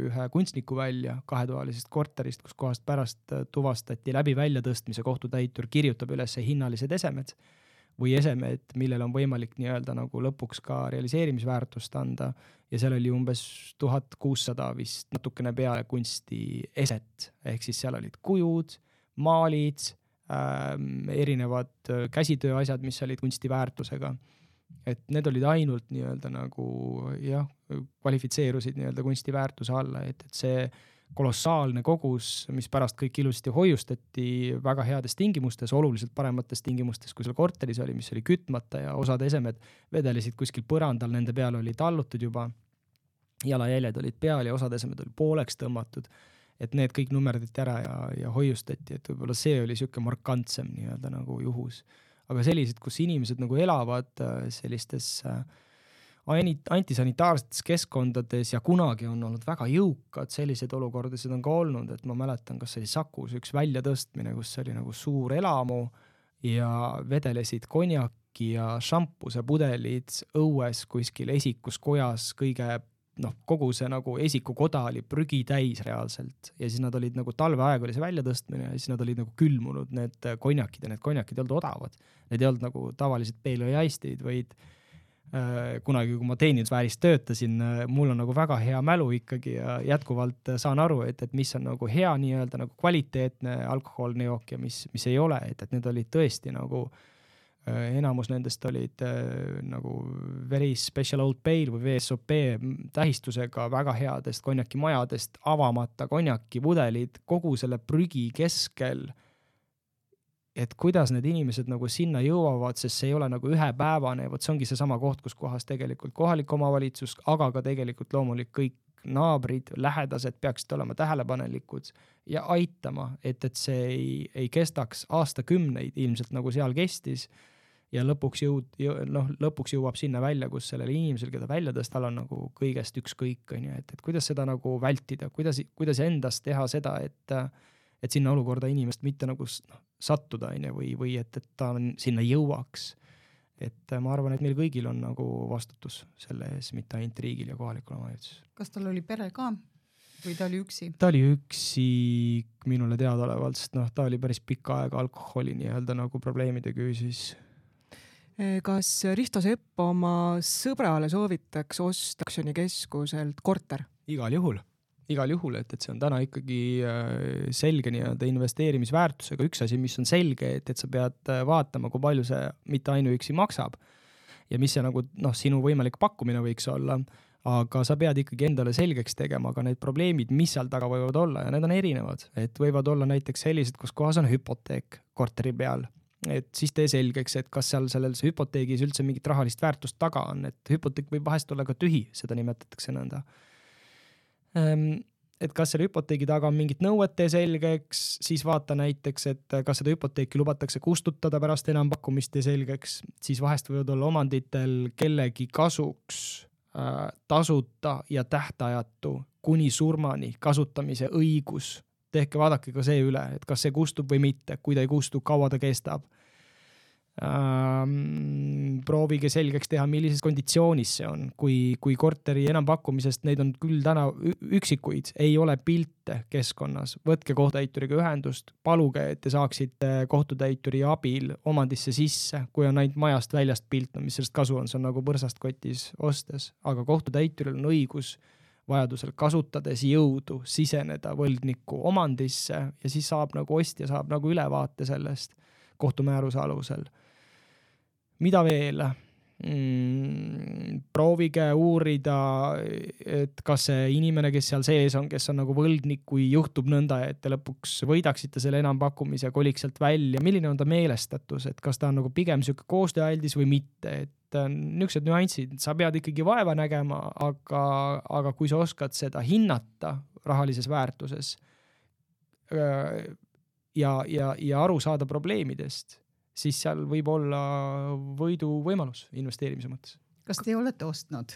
[SPEAKER 3] ühe kunstniku välja kahetoalisest korterist, kus kohast pärast tuvastati läbi väljatõstmise kohtutäitur kirjutab üles hinnalised esemed või esemed, millel on võimalik nii-öelda nagu lõpuks ka realiseerimisväärtust anda ja seal oli umbes tuhat kuussada vist natukene peale kunsti eset, ehk siis seal olid kujud, maalid, ähm, erinevad käsitöö asjad, mis olid kunstiväärtusega. Et need olid ainult nii-öelda nagu jah, kvalifitseerusid nii-öelda kunstiväärtuse alla, et, et see kolossaalne kogus, mis pärast kõik ilusti hoiustati väga heades tingimustes, oluliselt paremates tingimustes, kui seal korteris oli, mis oli kütmata ja osad esemed vedelesid kuskil põrandal, nende peal oli tallutud juba, jalajäljed olid peal ja osad esemed oli pooleks tõmmatud, et need kõik nummerdati ära ja, ja hoiustati, et võib-olla see oli siuke markantsem nii-öelda nagu juhus. Aga sellised, kus inimesed nagu elavad sellistes antisanitaarsetes keskkondades ja kunagi on olnud väga jõukad, sellised olukordasid on ka olnud, et ma mäletan, kas oli Sakus üks väljatõstmine, kus oli nagu suur elamu ja vedelesid konjaki ja šampuse pudelid õues kuskil esikus kojas, kõige, noh, kogu see nagu esikukoda oli prügi täis reaalselt ja siis nad olid nagu talveaeg oli see väljatõstmine ja siis nad olid nagu külmunud need konjakid ja need konjakid ei olnud odavad. Need ei olnud nagu tavalised peelööjaistid, vaid kunagi, kui ma teenindusväärist töötasin, mul on nagu väga hea mälu ikkagi ja jätkuvalt saan aru, et, et mis on nagu hea nii-öelda nagu kvaliteetne alkohoolne jook ja mis, mis ei ole, et, et need olid tõesti nagu enamus nendest olid nagu very special old pale või V S O P tähistusega väga headest konjakimajadest, avamata konjakipudelid kogu selle prügi keskel, et kuidas need inimesed nagu sinna jõuavad, sest see ei ole nagu ühepäevane, võt see ongi see sama koht, kus kohas tegelikult kohalik omavalitsus, aga ka tegelikult loomulik kõik naabrid, lähedased peaksid olema tähelepanelikud ja aitama, et, et see ei, ei kestaks aastakümneid ilmselt nagu seal kestis ja lõpuks, jõud, noh, lõpuks jõuab sinna välja, kus sellele inimesel, keda välja tõstal on nagu kõigest ükskõik, et, et kuidas seda nagu vältida, kuidas, kuidas endast teha seda, et et sinna olukorda inimest mitte nagu no, sattuda või, või et, et ta sinna jõuaks. Et ma arvan, et meil kõigil on nagu vastutus selle ees, mitte ainult riigil ja kohalikul omavalitsus.
[SPEAKER 4] Kas tal oli pere ka või ta oli üksi?
[SPEAKER 3] Ta oli üksi minule teadaolevalt, sest noh, ta oli päris pikka aega alkoholi nii-öelda nagu probleemide küüsis.
[SPEAKER 2] Kas Risto Sepp oma sõbrale soovitaks osta aktsioonikeskuselt korter?
[SPEAKER 3] Igal juhul. Igal juhul, et, et see on täna ikkagi selge nii-öelda investeerimisväärtusega. Üks asi, mis on selge, et, et sa pead vaatama, kui palju see mitte ainuüksi maksab ja mis see nagu, noh, sinu võimalik pakkumine võiks olla, aga sa pead ikkagi endale selgeks tegema ka need probleemid, mis seal taga võivad olla ja need on erinevad, et võivad olla näiteks sellised, kus kohas on hüpoteek korteri peal, et siis tee selgeks, et kas seal selles hüpoteegis üldse mingit rahalist väärtust taga on, et hüpoteek võib vahest olla ka tühi, seda nimetatakse nõnda. Et kas selle hüpoteegi taga on mingit nõuete selgeks, siis vaata näiteks, et kas seda hüpoteeki lubatakse kustutada pärast enampakkumist ja selgeks, siis vahest võivad olla omanditel kellegi kasuks äh, tasuta ja tähtajatu kuni surmani kasutamise õigus. Tehke vaadake ka see üle, et kas see kustub või mitte, kui ta ei kustu, kaua ta kestab. Ähm, proovige selgeks teha, millises konditsioonis see on, kui, kui korteri enampakkumisest, neid on küll täna üksikuid, ei ole pilte keskkonnas, võtke kohtutäituriga ühendust, paluge, et te saaksite kohtutäituri abil omandisse sisse, kui on ainult majast väljast pilt, no mis sellest kasu on, see on nagu põrsast kotis ostes, aga kohtutäituril on õigus vajadusel kasutades jõudu siseneda võlgniku omandisse ja siis saab nagu ostja saab nagu ülevaate sellest kohtumääruse alusel. Mida veel? Mm, proovige uurida, et kas see inimene, kes seal sees on, kes on nagu võlgnik, kui juhtub nõnda, et te lõpuks võidaksite selle enampakkumise ja koliks sealt välja, milline on ta meelestatus, et kas ta on nagu pigem siuke koostööaldis või mitte, et niisugused nüansid, sa pead ikkagi vaeva nägema, aga, aga kui sa oskad seda hinnata rahalises väärtuses ja, ja, ja aru saada probleemidest, siis seal võib olla võidu võimalus investeerimise mõttes.
[SPEAKER 4] Kas te olete ostnud?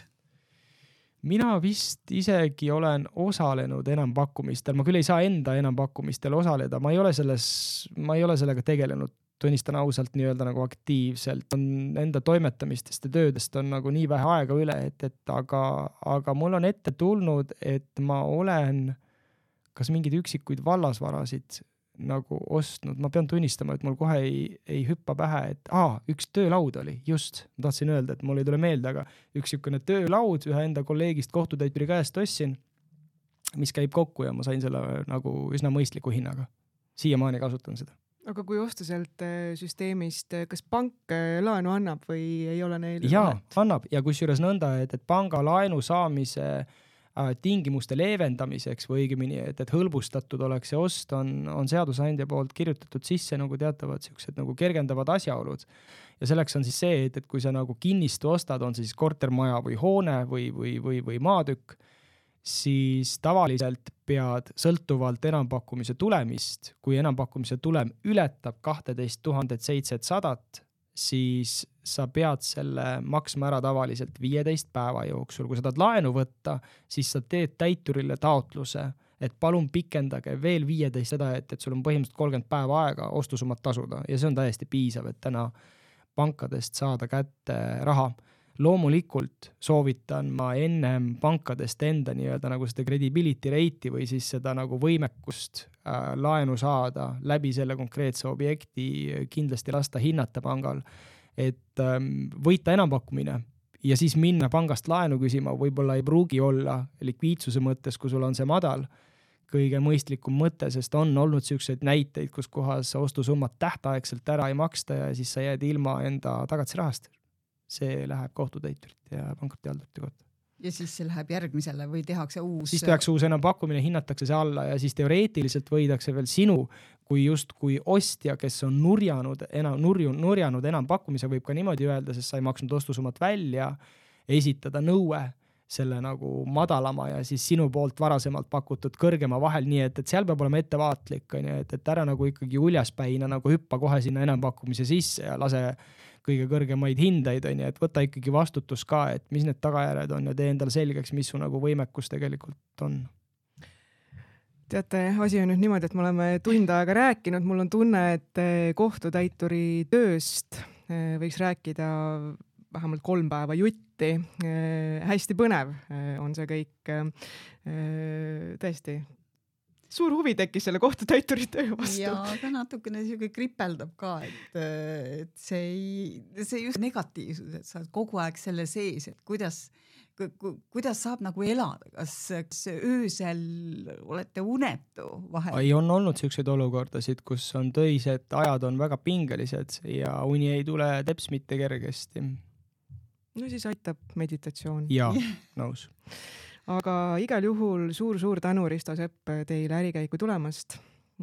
[SPEAKER 3] Mina vist isegi olen osalenud enampakkumistel, ma küll ei saa enda enampakkumistel osaleda, ma ei ole selles, ma ei ole sellega tegelenud, tunnistan ausalt nii-öelda nagu aktiivselt, on enda toimetamistest ja töödest on nagu nii vähe aega üle, et, et aga, aga mul on ette tulnud, et ma olen kas mingid üksikuid vallasvarasid nagu ostnud, ma pean tunnistama, et mul kohe ei, ei hüppa pähe, et aa, üks töölaud oli, just, ma tahtsin öelda, et mul ei tule meelde, aga üks niisugune töölaud ühe enda kolleegist kohtutäituri käest ostsin, mis käib kokku ja ma sain selle nagu üsna mõistliku hinnaga. Siiamaani kasutan seda.
[SPEAKER 2] Aga kui osta sealt süsteemist, kas pank laenu annab või ei ole neil?
[SPEAKER 3] Jaa, annab ja kusjuures nõnda, et, et panga laenu saamise tingimuste leevendamiseks või õigemini, et, et hõlbustatud oleks see ost, on, on seadusandja poolt kirjutatud sisse nagu teatavad siuksed nagu kergendavad asjaolud. Ja selleks on siis see, et, et kui sa nagu kinnistu ostad, on see siis kortermaja või hoone või, või, või, või maatükk, siis tavaliselt pead sõltuvalt enampakkumise tulemist, kui enampakkumise tulem ületab kaksteist tuhat seitsesada, siis sa pead selle maksma ära tavaliselt viieteist päeva jooksul. Kui sa tahad laenu võtta, siis sa teed täiturile taotluse, et palun pikendage veel viieteist seda, et, et sul on põhimõtteliselt kolmkümmend päeva aega ostusummat tasuda ja see on täiesti piisav, et täna pankadest saada kätte raha. Loomulikult soovitan ma ennem pankadest enda nii-öelda nagu seda credibility rate'i või siis seda nagu võimekust äh, laenu saada läbi selle konkreetse objekti kindlasti lasta hinnata pangal, et ähm, võita enampakkumine ja siis minna pangast laenu küsima võib-olla ei pruugi olla likviidsuse mõttes, kui sul on see madal, kõige mõistlikum mõte, sest on olnud siukseid näiteid, kus kohas ostusummat tähtaegselt ära ei maksta ja siis sa jääd ilma enda tagatisrahast. See läheb kohtutäiturit ja pankrottihaldurite kohta.
[SPEAKER 4] Ja siis see läheb järgmisele või tehakse uus?
[SPEAKER 3] Siis tehakse uus enampakkumine, hinnatakse see alla ja siis teoreetiliselt võidakse veel sinu, kui just kui ostja, kes on nurjanud, enam, nurju, nurjanud enampakkumise, võib ka niimoodi öelda, sest sa ei maksnud ostusummat välja, esitada nõue selle nagu madalama ja siis sinu poolt varasemalt pakutud kõrgema vahel, nii et, et seal peab olema ettevaatlik, et, et ära nagu ikkagi uljaspäina nagu hüppa kohe sinna enampakkumise sisse ja lase kõige kõrgemaid hindeid, on, et võta ikkagi vastutus ka, et mis need tagajärjed on ja tee endale selgeks, mis su nagu võimekus tegelikult on.
[SPEAKER 2] Teate, asi on nüüd niimoodi, et me oleme tund aega rääkinud, mul on tunne, et kohtutäituri tööst võiks rääkida vähemalt kolm päeva jutti. Hästi põnev on see kõik. Tõesti. Suur huvi tekkis selle kohtutäituri töö vastu.
[SPEAKER 4] Ja aga natukene siuke kripeldab ka, et, et see, ei, see just negatiivsus, et sa oled kogu aeg selle sees, et kuidas, ku, kuidas saab nagu elada, kas, kas öösel olete unetu vahel?
[SPEAKER 3] Ei on olnud siukseid olukordasid, kus on töised ajad on väga pingelised ja uni ei tule teps mitte kergesti.
[SPEAKER 2] No siis aitab meditatsioon.
[SPEAKER 3] Jaa, nõus.
[SPEAKER 2] Aga igal juhul suur-suur tänu, Risto Sepp, teile ärikäiku tulemast.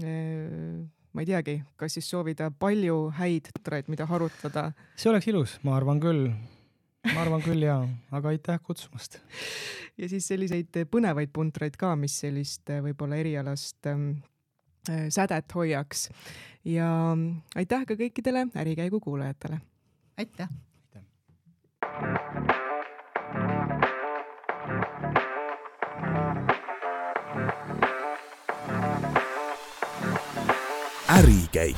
[SPEAKER 2] Ma ei teagi, kas siis soovida palju häid traid, mida harutada?
[SPEAKER 3] See oleks ilus, ma arvan küll. Ma arvan küll, jaa. Aga aitäh kutsumast.
[SPEAKER 2] Ja siis selliseid põnevaid puntraid ka, mis sellist võib-olla erialast sädet hoiaks. Ja aitäh ka kõikidele ärikäigu kuulajatele.
[SPEAKER 4] Aitäh.
[SPEAKER 1] Ärikäik.